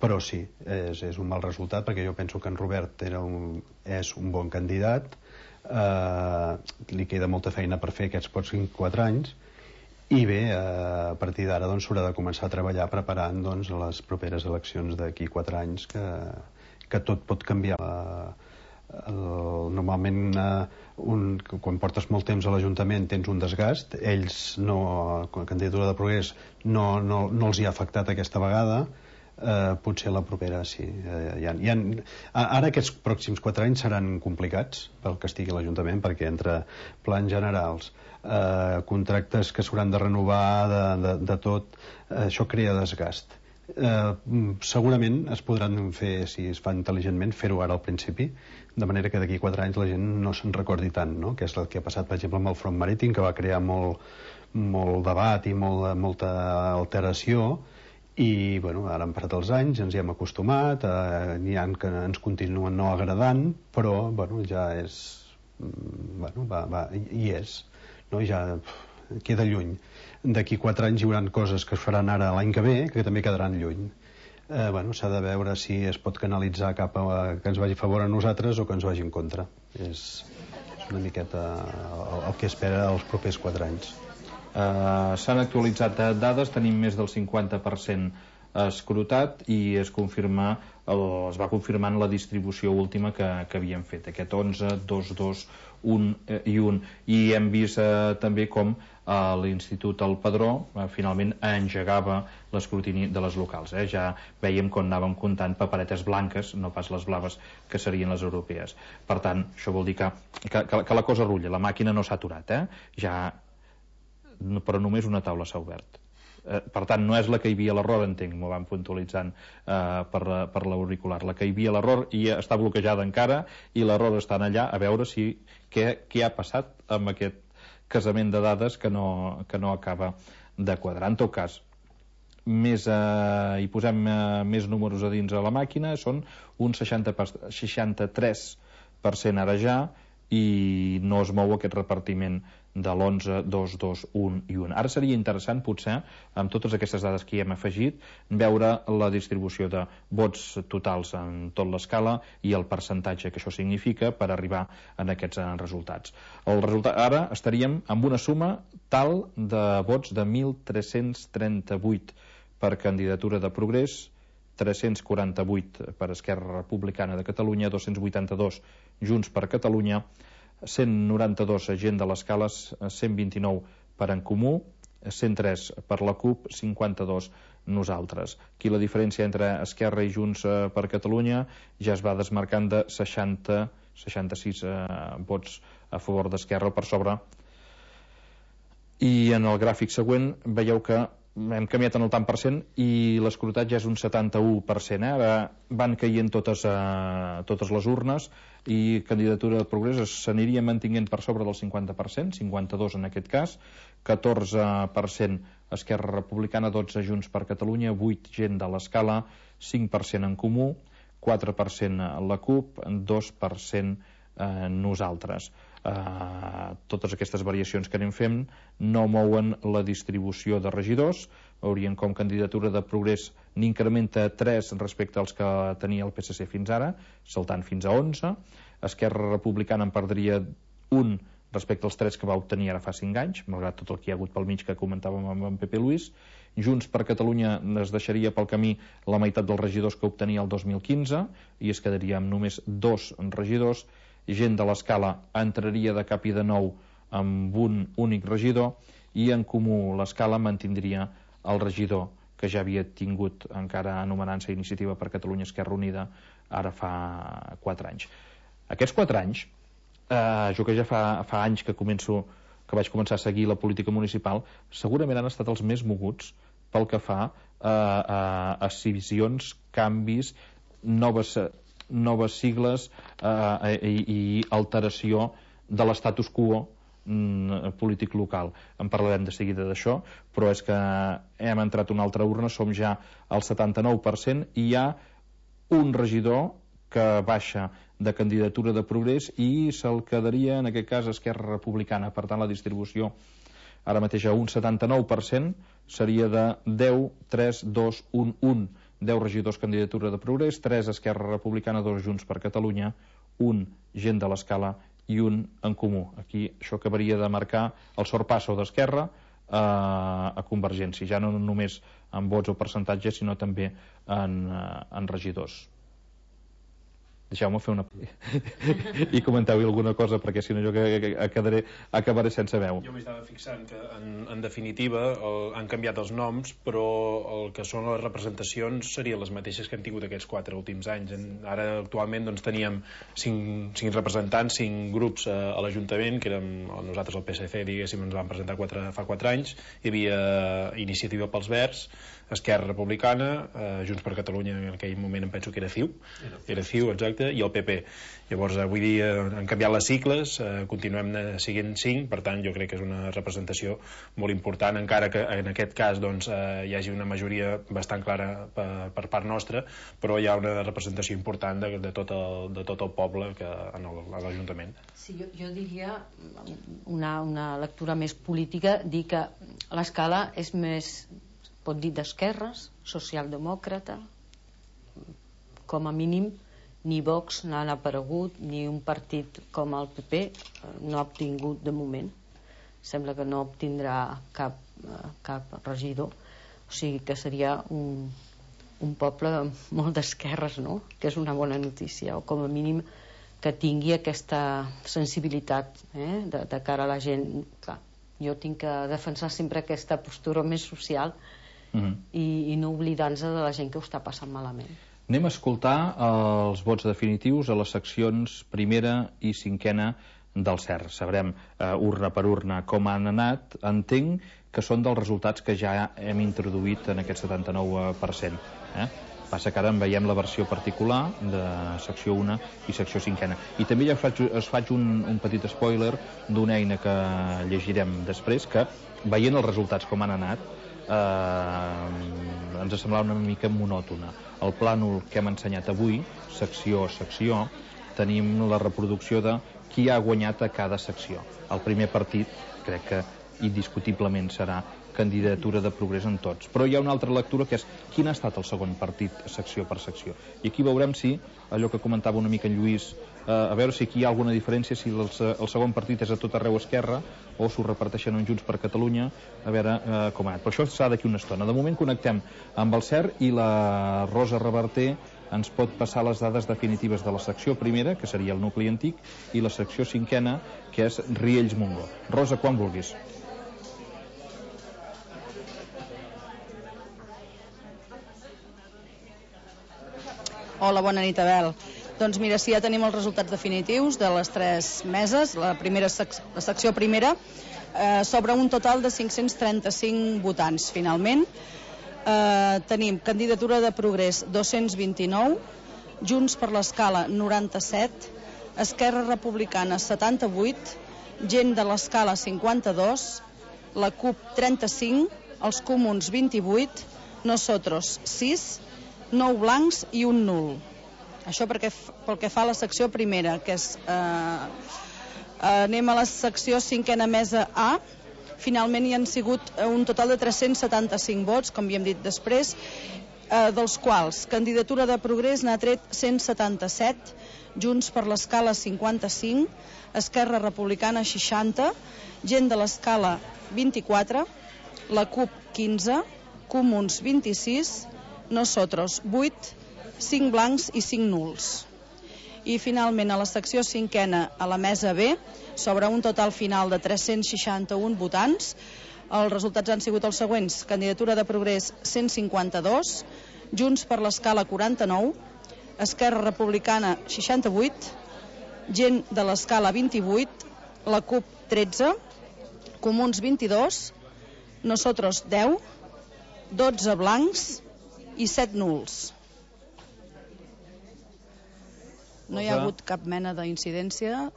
però sí, és un mal resultat, perquè jo penso que en Robert és un bon candidat, li queda molta feina per fer aquests pocs 4 anys, i bé, a partir d'ara s'haurà de començar a treballar preparant les properes eleccions d'aquí 4 anys, que tot pot canviar. Normalment quan portes molt temps a l'Ajuntament tens un desgast, ells no, la candidatura de Progrés no els hi ha afectat aquesta vegada, potser la propera sí. Ara aquests pròxims 4 anys seran complicats pel que estigui a l'Ajuntament, perquè entre plans generals, contractes que s'hauran de renovar de tot, això crea desgast. Segurament es podran fer, si es fa intel·ligentment, fer-ho ara al principi, de manera que d'aquí 4 anys la gent no se'n recordi tant, no? Que és el que ha passat, per exemple, amb el front marítim, que va crear molt debat i molta alteració, i ara han passat els anys, ens hi hem acostumat, n'hi ha que ens continuen no agradant, però ja és, hi és, no? Ja queda lluny. D'aquí 4 anys hi haurà coses que es faran ara l'any que ve que també quedaran lluny. S'ha de veure si es pot canalitzar cap a que ens vagi a favor a nosaltres o que ens vagi en contra. És una miqueta el que espera els propers 4 anys. S'han actualitzat dades, tenim més del 50% escrutat i es va confirmant la distribució última que havíem fet, aquest 11, 2, 2, 1 i 1, i hem vist també com l'Institut El Padró finalment engegava l'escrutini de les locals. Ja veiem com anàvem comptant paperetes blanques, no pas les blaves que serien les europees. Per tant, això vol dir que la cosa rulla, la màquina no s'ha aturat, però només una taula s'ha obert. Per tant, no és la que hi havia l'error, entenc, m'ho van puntualitzant per l'auricular. La que hi havia l'error i està bloquejada encara, i l'error està allà, a veure què ha passat amb aquest casament de dades que no acaba de quadrar. En tot cas, hi posem més números a dins a la màquina, són un 63% ara ja, i no es mou aquest repartiment de l'11, 2, 2, 1 i 1. Ara seria interessant, potser, amb totes aquestes dades que hi hem afegit, veure la distribució de vots totals en tot l'escala i el percentatge que això significa per arribar a aquests resultats. Ara estaríem amb una suma tal de vots de 1.338 per candidatura de Progrés, 348 per Esquerra Republicana de Catalunya, 282 Junts per Catalunya, 192 Gent de l'Escala, 129 per En Comú, 103 per la CUP, 52 nosaltres. Aquí la diferència entre Esquerra i Junts per Catalunya ja es va desmarcant de 66 vots a favor d'Esquerra per sobre. I en el gràfic següent veieu que hem canviat en el tant per cent i l'escrutat ja és un 71%. Ara van caient totes les urnes i candidatura de Progrés s'aniria mantinguent per sobre del 50%, 52 en aquest cas, 14% Esquerra Republicana, 12 Junts per Catalunya, 8 Gent de l'Escala, 5% En Comú, 4% la CUP, 2% nosaltres. Totes aquestes variacions que anem fent no mouen la distribució de regidors. Veurien com candidatura de Progrés n'incrementa 3 respecte als que tenia el PSC fins ara, saltant fins a 11. Esquerra Republicana en perdria 1 respecte als 3 que va obtenir ara fa 5 anys, malgrat tot el que hi ha hagut pel mig que comentàvem amb en Pepe Luis. Junts per Catalunya es deixaria pel camí la meitat dels regidors que obtenia el 2015 i es quedaria amb només 2 regidors. Gent de l'Escala entraria de cap i de nou amb un únic regidor i En Comú l'Escala mantindria el regidor que ja havia tingut encara anomenant-se Iniciativa per Catalunya Esquerra Unida ara fa 4 anys. Aquests 4 anys, jo que ja fa anys que vaig començar a seguir la política municipal, segurament han estat els més moguts pel que fa a escissions, canvis, noves sigles i alteració de l'estatus quo polític local. En parlarem de seguida d'això, però és que hem entrat una altra urna, som ja al 79% i hi ha un regidor que baixa de candidatura de Progrés i se'l quedaria, en aquest cas, Esquerra Republicana. Per tant, la distribució ara mateix a un 79% seria de 10, 3, 2, 1, 1 10 regidors candidatura de Progrés, 3 Esquerra Republicana, 2 Junts per Catalunya, 1 Gent de l'Escala i 1 En Comú. Aquí això acabaria de marcar el sorpasso d'Esquerra a Convergència, ja no només en vots o percentatges, sinó també en regidors. Deixeu-me fer una... i comenteu-hi alguna cosa, perquè si no jo acabaré sense veu. Jo m'estava fixant que, en definitiva, han canviat els noms, però el que són les representacions serien les mateixes que han tingut aquests 4 últims anys. Ara, actualment, doncs, teníem 5 representants, 5 grups a l'Ajuntament, que érem nosaltres, el PSC, diguéssim, ens vam presentar fa 4 anys. Hi havia Iniciativa pels Verds, Esquerra Republicana, Junts per Catalunya, en aquell moment em penso que era CiU, exacte, i el PP. Llavors, avui dia han canviat les sigles, continuem siguent 5, per tant, jo crec que és una representació molt important, encara que en aquest cas hi hagi una majoria bastant clara per part nostra, però hi ha una representació important de tot el poble a l'Ajuntament. Sí, jo diria, una lectura més política, dir que l'Escala és més, pot dir, d'esquerres, socialdemòcrata, com a mínim ni Vox n'han aparegut, ni un partit com el PP no ha obtingut de moment. Sembla que no obtindrà cap regidor, o sigui que seria un poble molt d'esquerres, no? Que és una bona notícia, o com a mínim que tingui aquesta sensibilitat de cara a la gent. Clar, jo tinc que defensar sempre aquesta postura més social i no oblidar-nos de la gent que ho està passant malament. Anem a escoltar els vots definitius a les seccions primera i cinquena del CER. Sabrem urna per urna com han anat. Entenc que són dels resultats que ja hem introduït en aquest 79%. Passa que ara en veiem la versió particular de secció 1 i secció 5ena. I també ja us faig un petit spoiler d'una eina que llegirem després, que veient els resultats com han anat ens semblava una mica monòtona. El plànol que hem ensenyat avui, secció a secció, tenim la reproducció de qui ha guanyat a cada secció. El primer partit crec que indiscutiblement serà candidatura de Progrés en tots, però hi ha una altra lectura que és quin ha estat el segon partit secció per secció, i aquí veurem si allò que comentava una mica en Lluís, a veure si aquí hi ha alguna diferència, si el segon partit és a tot arreu Esquerra o s'ho reparteixen en Junts per Catalunya, a veure com ha anat. Però això serà d'aquí una estona. De moment connectem amb el CER i la Rosa Reverter ens pot passar les dades definitives de la secció primera, que seria el nucli antic, i la secció cinquena, que és Riells Montgó. Rosa, quan vulguis. Hola, bona nit, Abel. Doncs mira, sí, ja tenim els resultats definitius de les 3 meses. La secció primera sobre un total de 535 votants, finalment. Tenim candidatura de Progrés 229, Junts per l'Escala 97, Esquerra Republicana 78, Gent de l'Escala 52, la CUP 35, els Comuns 28, Nosotros 6, 9 blancs i un nul. Això pel que fa a la secció primera, que és... anem a la secció cinquena mesa A. Finalment hi han sigut un total de 375 vots, com havíem dit després, dels quals candidatura de Progrés n'ha tret 177, Junts per l'Escala 55, Esquerra Republicana 60, Gent de l'Escala 24, la CUP 15, Comuns 26, Nosotros 8, 5 blancs i 5 nuls. I finalment a la secció cinquena, a la mesa B, sobre un total final de 361 votants, els resultats han sigut els següents: candidatura de Progrés 152, Junts per l'Escala 49, Esquerra Republicana 68, Gent de l'Escala 28, la CUP 13, Comuns 22, Nosotros 10, 12 blancs i 7 nuls. No hi ha hagut cap mena d'incidència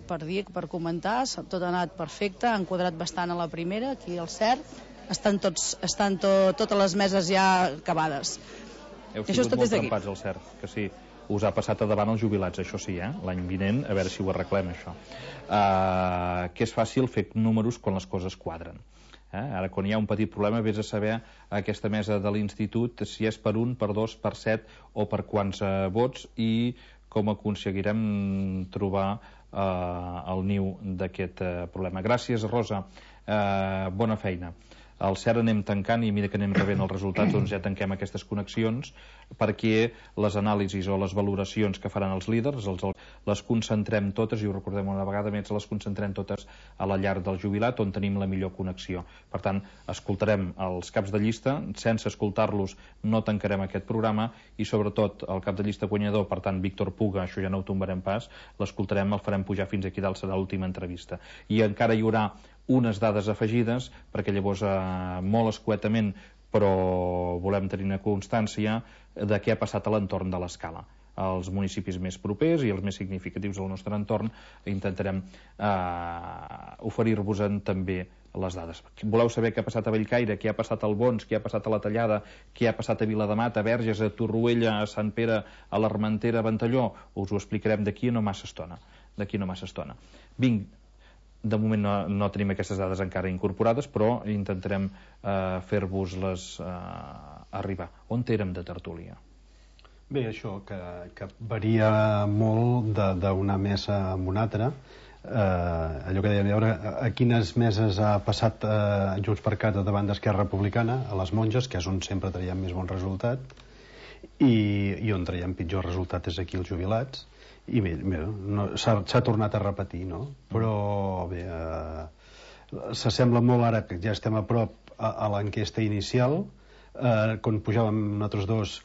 per comentar, tot ha anat perfecte, han quadrat bastant a la primera, aquí al CER, estan totes les meses ja acabades. Heu sigut molt trempats al CER, que sí, us ha passat a davant els jubilats, això sí, l'any vinent, a veure si ho arreglem, això. Que és fàcil fer números quan les coses quadren. Ara, quan hi ha un petit problema, vés a saber aquesta mesa de l'institut si és per 1, per 2, per 7 o per quants vots, i com aconseguirem trobar el niu d'aquest problema. Gràcies, Rosa. Bona feina. Al CERN anem tancant, i a mesura que anem rebent els resultats doncs ja tanquem aquestes connexions, perquè les anàlisis o les valoracions que faran els líders les concentrem totes, i ho recordem una vegada més, les concentrem totes a la llar del jubilat, on tenim la millor connexió. Per tant, escoltarem els caps de llista, sense escoltar-los no tancarem aquest programa, i sobretot el cap de llista guanyador, per tant Víctor Puga, això ja no ho tombarem pas, l'escoltarem, el farem pujar fins aquí dalt, serà l'última entrevista. I encara hi haurà unes dades afegides, perquè llavors molt escuetament, però volem tenir una constància de què ha passat a l'entorn de l'escala. Els municipis més propers i els més significatius del nostre entorn intentarem oferir-vos-en també les dades. Voleu saber què ha passat a Bellcaire, què ha passat al Bons, què ha passat a la Tallada, què ha passat a Vilademat, a Verges, a Torroella, a Sant Pere, a l'Armentera, a Ventalló? Us ho explicarem d'aquí a no massa estona. Vinc. De moment no tenim aquestes dades encara incorporades, però intentarem fer-vos-les arribar. On érem de tertúlia? Bé, això, que varia molt d'una mesa a una altra. Allò que dèiem, a veure a quines meses ha passat Junts per Cat davant d'Esquerra Republicana, a les Monges, que és on sempre traiem més bon resultat, i on traiem pitjor resultat és aquí els jubilats. I bé, s'ha tornat a repetir, no? Però bé, s'assembla molt ara que ja estem a prop a l'enquesta inicial. Quan pujàvem nosaltres dos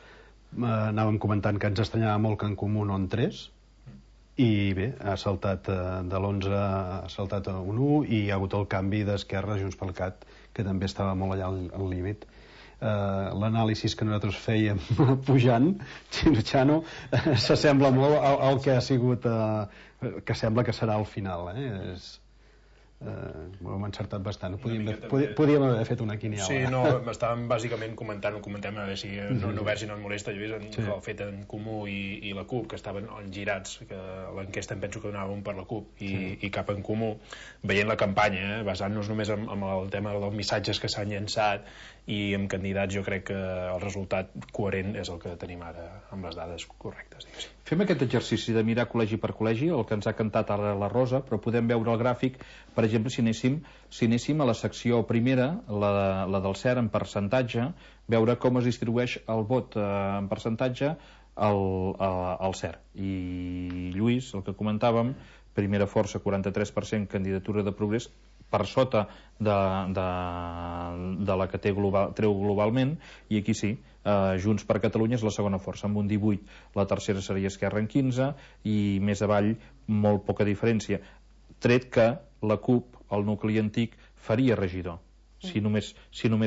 anàvem comentant que ens estranyava molt que en Comú no entrés, i bé, ha saltat de l'11, ha saltat a un 1, i hi ha hagut el canvi d'Esquerra a Junts pel Cat, que també estava molt allà al límit. L'anàlisi que nosaltres fèiem pujant, Xino, s'assembla molt al que ha sigut, que sembla que serà al final. Ho hem encertat bastant. Podíem haver fet una quiniela. Sí, no, estàvem bàsicament comentem a veure si no veure si no et molesta. Jo he vist el fet en Comú i la CUP, que estaven girats, que l'enquesta em penso que donàvem per la CUP i cap en Comú, veient la campanya, basant-nos només en el tema dels missatges que s'han llançat i amb candidats, jo crec que el resultat coherent és el que tenim ara amb les dades correctes. Fem aquest exercici de mirar col·legi per col·legi, el que ens ha cantat ara la Rosa, però podem veure el gràfic, per exemple, si anéssim a la secció primera, la del CERN en percentatge, veure com es distribueix el vot en percentatge al CERN. I Lluís, el que comentàvem, primera força 43%, candidatura de Progrés, per sota de la que treu globalment, i aquí sí, Junts per Catalunya és la segona força amb un 18, la tercera seria Esquerra en 15, i més avall molt poca diferència, tret que la CUP, el nucli antic, faria regidor. Si només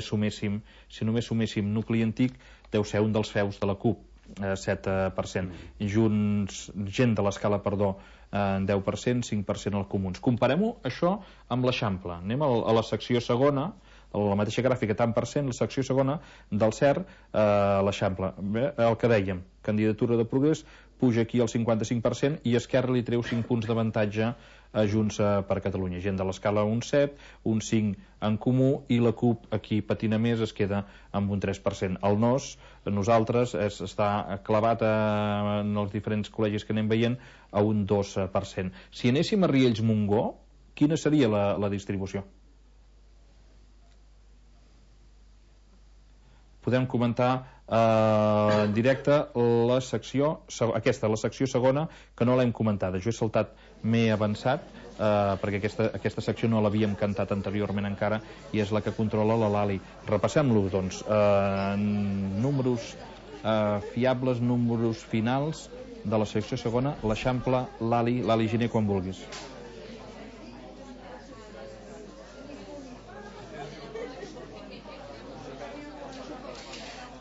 suméssim nucli antic, deu ser un dels feus de la CUP, 7%. Gent de l'escala, perdó, 10%, 5% als comuns. Comparem-ho això amb l'Eixample. Anem a la secció segona, la mateixa gràfica, tant per cent, la secció segona del CERN, l'Eixample. El que dèiem, candidatura de Progrés, puja aquí al 55% i Esquerra li treu 5 punts d'avantatge a Junts per Catalunya. Gent de l'escala un 7, un 5 en Comú, i la CUP aquí patina més, es queda amb un 3%. El nosaltres està clavat en els diferents col·legis que anem veient a un 2%. Si anéssim a Riells-Montgó, quina seria la distribució? Podem comentar en directe la secció segona, que no l'hem comentada. Jo he saltat, m'he avançat, perquè aquesta secció no l'havíem cantat anteriorment encara, i és la que controla la Lali. Repassem-lo, doncs. Números fiables, números finals de la secció segona, l'Eixample, Lali Giner, quan vulguis.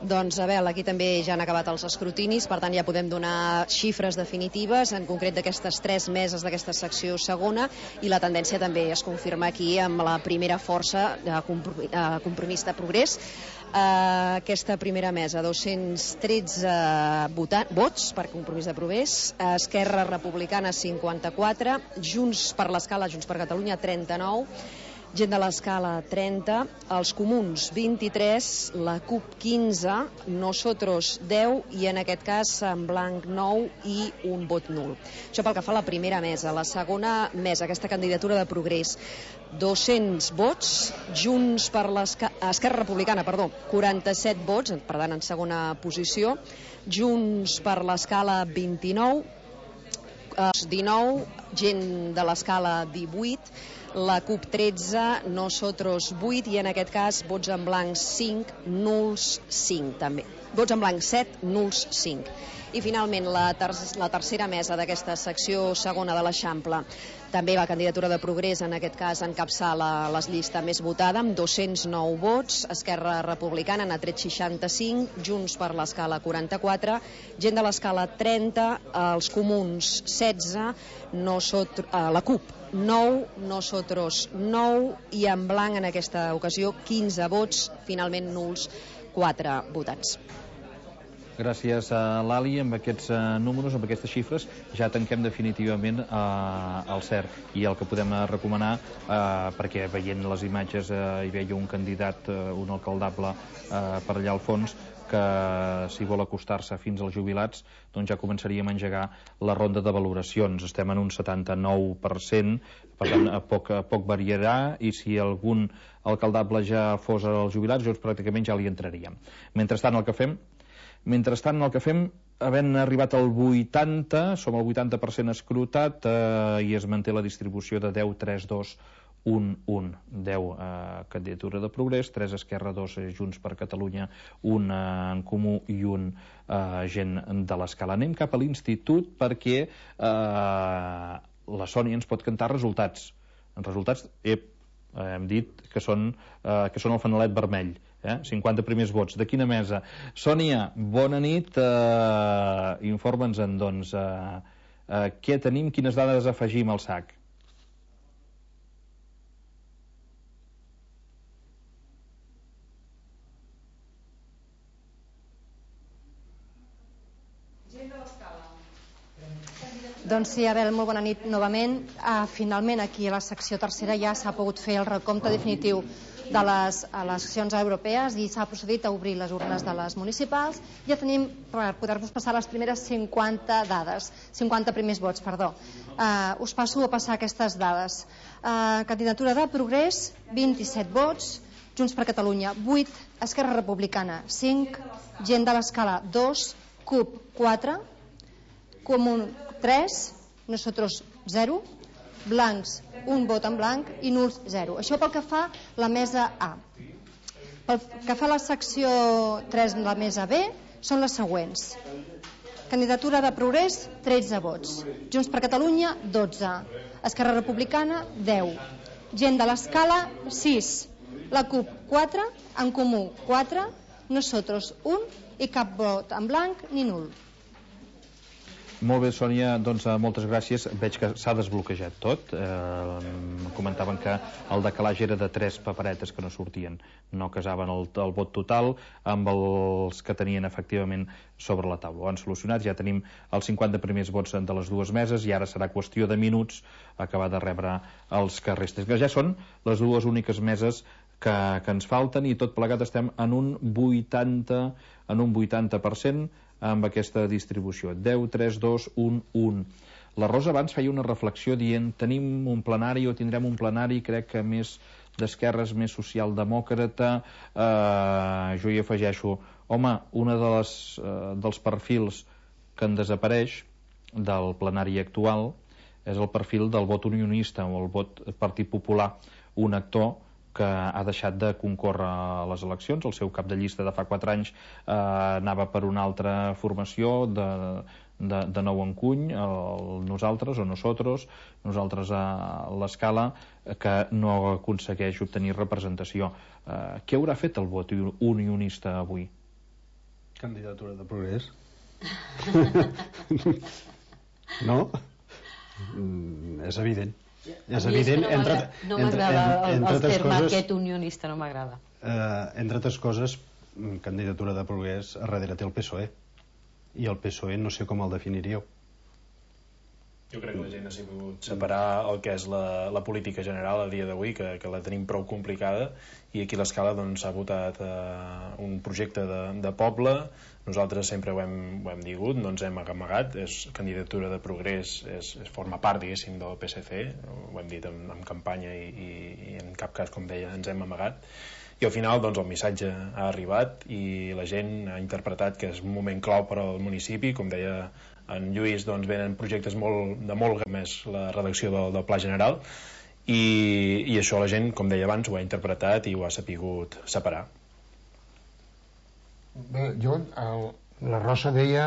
Doncs, Abel, aquí també ja han acabat els escrutinis, per tant ja podem donar xifres definitives, en concret d'aquestes 3 meses d'aquesta secció segona, i la tendència també es confirma aquí amb la primera força de Compromís de Progrés. Aquesta primera mesa, 213 vots per Compromís de Progrés, Esquerra Republicana 54, Junts per l'escala, Junts per Catalunya 39, Gent de l'Escala 30, els Comuns 23, la CUP 15, Nosotros 10 i en aquest cas en blanc 9 i un vot nul. Això pel que fa a la primera mesa. La segona mesa, aquesta candidatura de Progrés, 200 vots, Junts per Esquerra Republicana, 47 vots, per tant en segona posició, Junts per l'Escala 29, 19, Gent de l'Escala 18, la CUP 13, Nosotros 8 i en aquest cas vots en blanc 5, nuls 5 també. Vots en blanc 7, nuls 5. I finalment la tercera mesa d'aquesta secció segona de l'Eixample. També la candidatura de Progrés, en aquest cas encapçala la llista més votada amb 209 vots, Esquerra Republicana n'ha tret 65, Junts per l'Escala 44, Gent de l'Escala 30, els Comuns 16, la CUP 9, Nosotros 9 i en blanc en aquesta ocasió 15 vots, finalment nuls 4 votants. Gràcies a l'Ali. Amb aquests números, amb aquestes xifres, ja tanquem definitivament el CERC. I el que podem recomanar, perquè veient les imatges hi veia un candidat, un alcaldable per allà al fons, que si vol acostar-se fins als jubilats, doncs ja començaríem a engegar la ronda de valoracions. Estem en un 79%, per tant poc variarà, i si algun alcaldable ja fos als jubilats, doncs pràcticament ja li entraríem. Mentrestant el que fem, havent arribat al 80, som al 80% escrutat, i es manté la distribució de 10, 3, 2, 1, 1. 10 candidatura de Progrés, 3 Esquerra, 2 Junts per Catalunya, 1 en Comú i 1 Gent de l'Escala. Anem cap a l'Institut perquè la Sònia ens pot cantar resultats. Resultats, hem dit que són el fanalet vermell. 50 primers vots. De quina mesa? Sònia, bona nit. Informa'ns-en, doncs, què tenim, quines dades afegim al sac? Doncs sí, Abel, molt bona nit novament. Finalment, aquí a la secció tercera ja s'ha pogut fer el recompte definitiu de les eleccions europees i s'ha procedit a obrir les urnes de les municipals. Ja tenim, per poder-vos passar les primeres 50 primers vots, perdó. Us passo a passar aquestes dades. Candidatura de Progrés, 27 vots, Junts per Catalunya, 8, Esquerra Republicana, 5, Gent de l'Escala, 2, CUP, 4, Comú, 3, Nosotros, 0, blancs, un vot en blanc i nuls 0. Això pel que fa la mesa A. Pel que fa la secció 3 de la mesa B, són les següents. Candidatura de Progrés, 13 vots. Junts per Catalunya, 12. Esquerra Republicana, 10. Gent de l'Escala, 6. La CUP, 4. En Comú, 4. Nosotros, 1. I cap vot en blanc ni nul. Molt bé, Sònia, doncs moltes gràcies. Veig que s'ha desbloquejat tot. Comentaven que el decalatge era de 3 paperetes que no sortien, no casaven el vot total amb els que tenien efectivament sobre la taula. Ho han solucionat, ja tenim els 50 primers vots de les dues meses i ara serà qüestió de minuts acabar de rebre els que resten. Ja són les dues úniques meses que ens falten i tot plegat estem en un 80% amb aquesta distribució. 10, 3, 2, 1, 1. La Rosa abans feia una reflexió dient tenim un plenari o tindrem un plenari, crec que més d'esquerres, més socialdemòcrata. Jo hi afegeixo, home, un dels perfils que en desapareix del plenari actual és el perfil del vot unionista o el vot Partit Popular, un actor que ha deixat de concórrer a les eleccions. El seu cap de llista de fa 4 anys anava per una altra formació de nou encuny, nosaltres a l'Escala, que no aconsegueix obtenir representació. Què haurà fet el vot unionista avui? Candidatura de Progrés. No? És evident. És evident, no m'agrada el terme aquest unionista, no m'agrada. Entre altres coses, candidatura de Progrés, a darrere té el PSOE, i el PSOE no sé com el definiríeu. Jo crec que la gent ha sabut separar el que és la política general a dia d'avui, que la tenim prou complicada, i aquí a l'Escala s'ha votat un projecte de poble. Nosaltres sempre ho hem digut, no ens hem amagat, és candidatura de progrés, forma part, diguéssim, del PSC, ho hem dit en campanya i en cap cas, com deia, ens hem amagat. I al final el missatge ha arribat i la gent ha interpretat que és un moment clau per al municipi. Com deia en Lluís, venen projectes de molt més la redacció del Pla General i això la gent, com deia abans, ho ha interpretat i ho ha sapigut separar. Bé, la Rosa deia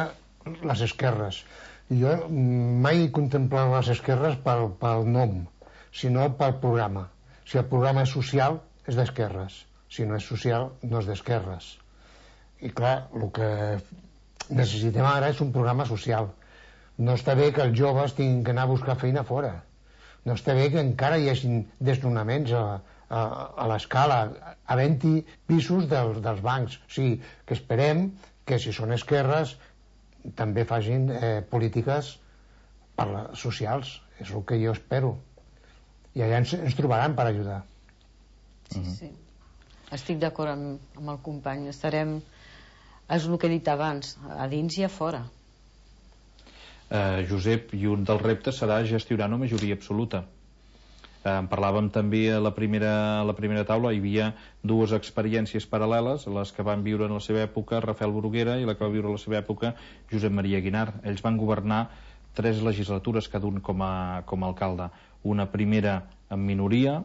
les esquerres. Jo mai he contemplat les esquerres pel nom, sinó pel programa. Si el programa és social, és d'esquerres. Si no és social, no és d'esquerres. I clar, el que necessitem ara és un programa social. No està bé que els joves tinguin que anar a buscar feina fora. No està bé que encara hi hagi desnonaments a l'Escala, havent-hi pisos dels bancs. O sigui, que esperem que si són esquerres també facin polítiques socials. És el que jo espero. I allà ens trobaran per ajudar. Sí. Estic d'acord amb el company. Estarem, és el que he dit abans, a dins i a fora. Josep, i un dels reptes serà gestionar una majoria absoluta. En parlàvem també a la primera taula. Hi havia dues experiències paral·leles, les que van viure en la seva època Rafael Bruguera i la que va viure en la seva època Josep Maria Guinar. Ells van governar 3 legislatures cada un com a alcalde. Una primera en minoria,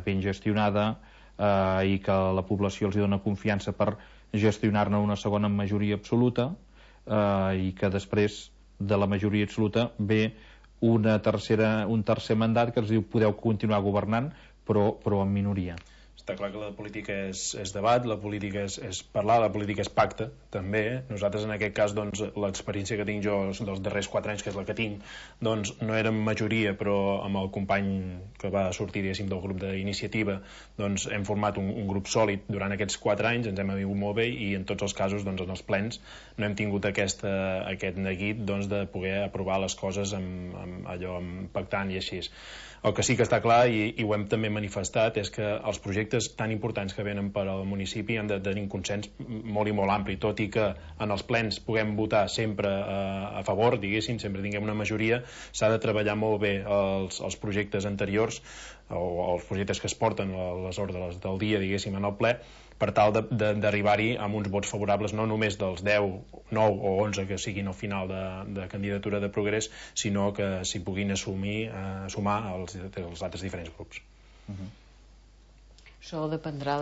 ben gestionada, i que la població els dona confiança per gestionar-ne una segona en majoria absoluta, i que després de la majoria absoluta ve un tercer mandat que els diu podeu continuar governant però en minoria. Està clar que la política és debat, la política és parlar, la política és pacte, també. Nosaltres, en aquest cas, l'experiència que tinc jo dels darrers 4 anys, que és la que tinc, no érem majoria, però amb el company que va sortir, diguéssim, del grup d'iniciativa, hem format un grup sòlid durant aquests 4 anys, ens hem avingut molt bé i en tots els casos, en els plens, no hem tingut aquest neguit de poder aprovar les coses pactant i així. El que sí que està clar, i ho hem també manifestat, és que els projectes tan importants que venen per al municipi han de tenir un consens molt i molt ampli, tot i que en els plens puguem votar sempre a favor, diguéssim, sempre tinguem una majoria, s'ha de treballar molt bé els projectes anteriors o els projectes que es porten a les ordres del dia, diguéssim, en el ple, per tal d'arribar-hi amb uns vots favorables no només dels 10, 9 o 11 que siguin al final de candidatura de progrés, sinó que s'hi puguin sumar els altres diferents grups. Això dependrà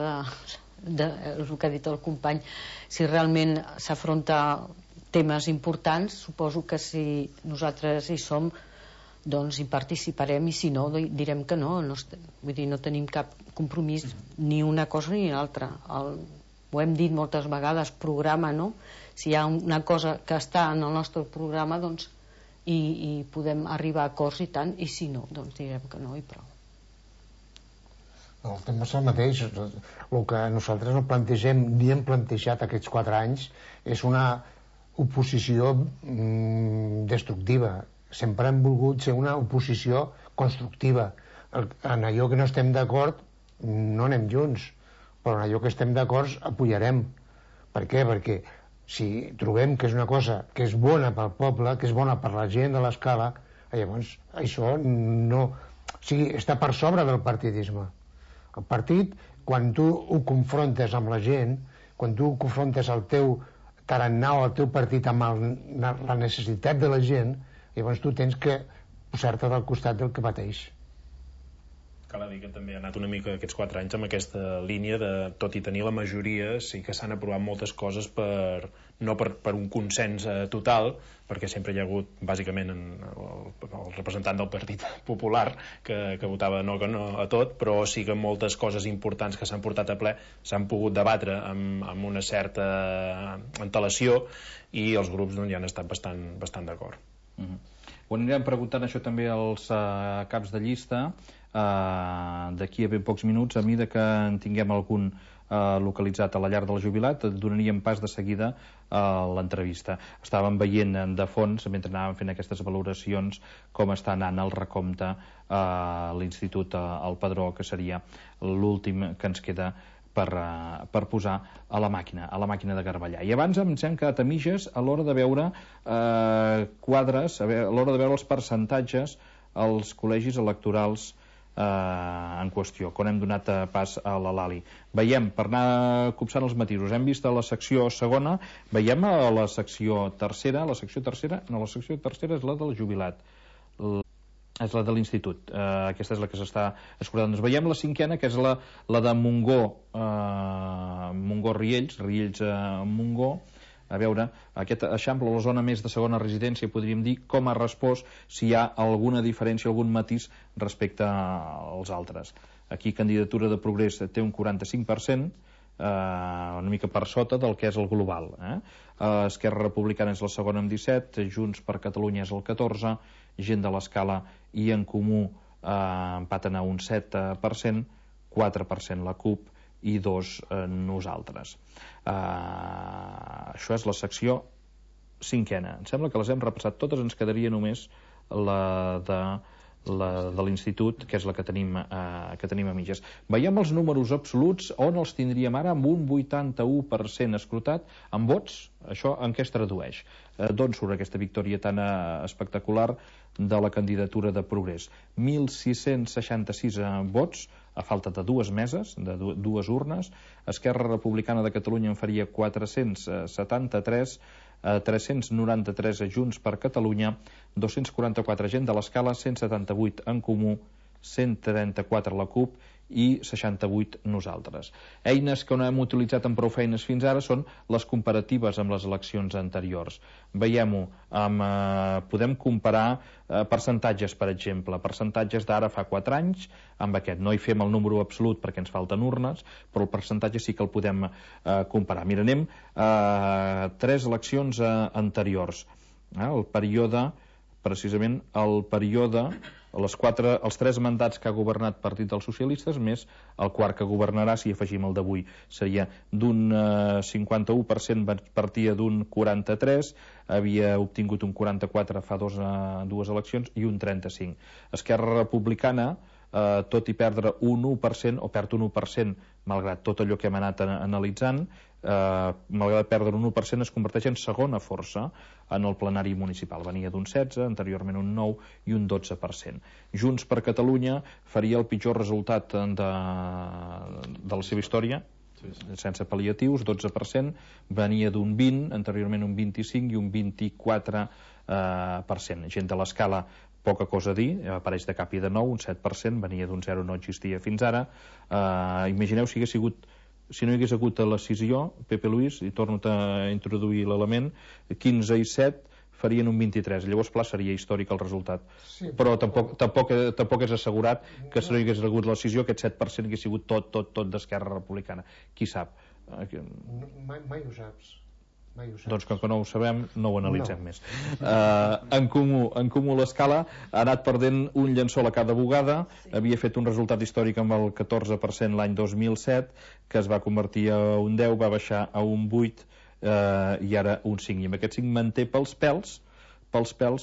del que ha dit el company. Si realment s'afronta temes importants, suposo que si nosaltres hi som, doncs hi participarem, i si no direm que no. Vull dir, no tenim cap compromís ni una cosa ni l'altra. Ho hem dit moltes vegades, programa, no? Si hi ha una cosa que està en el nostre programa, doncs i podem arribar a acords i tant, i si no, doncs direm que no i prou. El tema és el mateix. El que nosaltres no plantegem ni hem plantejat aquests 4 anys és una oposició destructiva. Sempre hem volgut ser una oposició constructiva. En allò que no estem d'acord no anem junts, però en allò que estem d'acord apoyarem. Per què? Perquè si trobem que és una cosa que és bona pel poble, que és bona per la gent de l'Escala, llavors això no... O sigui, està per sobre del partidisme. El partit, quan tu ho confrontes amb la gent, quan tu confrontes el teu tarannà o el teu partit amb la necessitat de la gent, llavors tu tens que posar-te del costat del que pateix. Cal dir que també ha anat una mica aquests 4 anys amb aquesta línia de, tot i tenir la majoria, sí que s'han aprovat moltes coses no per un consens total, perquè sempre hi ha hagut bàsicament el representant del Partit Popular que votava no a tot, però sí que moltes coses importants que s'han portat a ple s'han pogut debatre amb una certa antelació i els grups ja han estat bastant d'acord. Ho anirem preguntant això també als caps de llista d'aquí a ben pocs minuts, a mesura que en tinguem algun localitzat a la llar del jubilat. Donaríem pas de seguida a l'entrevista. Estàvem veient de fons, mentre anàvem fent aquestes valoracions, com està anant el recompte a l'Institut al Padró, que seria l'últim que ens queda per posar a la màquina de garbellar. I abans ens hem quedat a mitges a l'hora de veure quadres, a l'hora de veure els percentatges als col·legis electorals en qüestió, quan hem donat pas a la Lali. Veiem, per anar copsant els matisos, hem vist a la secció segona, veiem a la secció tercera, la secció tercera és la del jubilat, és la de l'institut, aquesta és la que s'està escurtant. Doncs veiem la cinquena, que és la de Montgó-Riells, Riells-Montgó. A veure, aquest eixample, la zona més de segona residència, podríem dir, com ha respost, si hi ha alguna diferència, algun matís respecte als altres. Aquí Candidatura de Progrés té un 45%, una mica per sota del que és el global. Esquerra Republicana és la segona amb 17%, Junts per Catalunya és el 14%, Gent de l'Escala i En Comú empaten a un 7%, 4% la CUP i 2% nosaltres. Això és la secció cinquena. Em sembla que les hem repassat totes, ens quedaria només la de l'institut, que és la que tenim a mitges. Veiem els números absoluts, on els tindríem ara, amb un 81% escrutat en vots. Això en què es tradueix? D'on surt aquesta victòria tan espectacular de la Candidatura de Progrés? 1.666 vots, a falta de dues meses, de dues urnes. Esquerra Republicana de Catalunya en faria 473, 393 a Junts per Catalunya, 244 Gent de l'Escala, 178 En Comú, 134 la CUP i 68 nosaltres. Eines que no hem utilitzat amb prou feines fins ara són les comparatives amb les eleccions anteriors. Veiem-ho, podem comparar percentatges, per exemple, percentatges d'ara fa 4 anys amb aquest. No hi fem el número absolut perquè ens falten urnes, però el percentatge sí que el podem comparar. Mira, anem a 3 eleccions anteriors. El període, precisament el període, els 3 mandats que ha governat Partit dels Socialistes, més el quart que governarà, si afegim el d'avui, seria d'un 51%, partia d'un 43%, havia obtingut un 44% fa dues eleccions i un 35%. Esquerra Republicana, tot i perdre un 1%, o perd un 1%, malgrat tot allò que hem anat analitzant, malgrat perdre un 1%, es converteix en segona força en el plenari municipal. Venia d'un 16%, anteriorment un 9% i un 12%. Junts per Catalunya faria el pitjor resultat de la seva història, sense pal·liatius, 12%, venia d'un 20%, anteriorment un 25% i un 24%. Gent de l'Escala, poca cosa a dir, apareix de cap i de nou, un 7%, venia d'un 0, no existia fins ara. Imagineu si no hi hagués hagut la decisió, Pepe Luis, i torno a introduir l'element, 15 i 7 farien un 23, llavors clar seria històric el resultat, però tampoc és assegurat que si no hi hagués hagut la decisió aquest 7% hagués sigut tot d'Esquerra Republicana, qui sap? Mai ho saps. Doncs com que no ho sabem, no ho analitzem més. En Comú l'Escala ha anat perdent un llençol a cada bugada, havia fet un resultat històric amb el 14% l'any 2007, que es va convertir a un 10, va baixar a un 8 i ara un 5, i amb aquest 5 manté pels pèls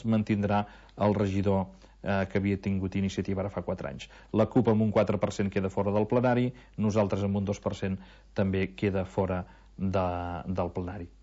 mantindrà el regidor que havia tingut iniciativa ara fa 4 anys. La CUP amb un 4% queda fora del plenari, nosaltres amb un 2% també queda fora del plenari.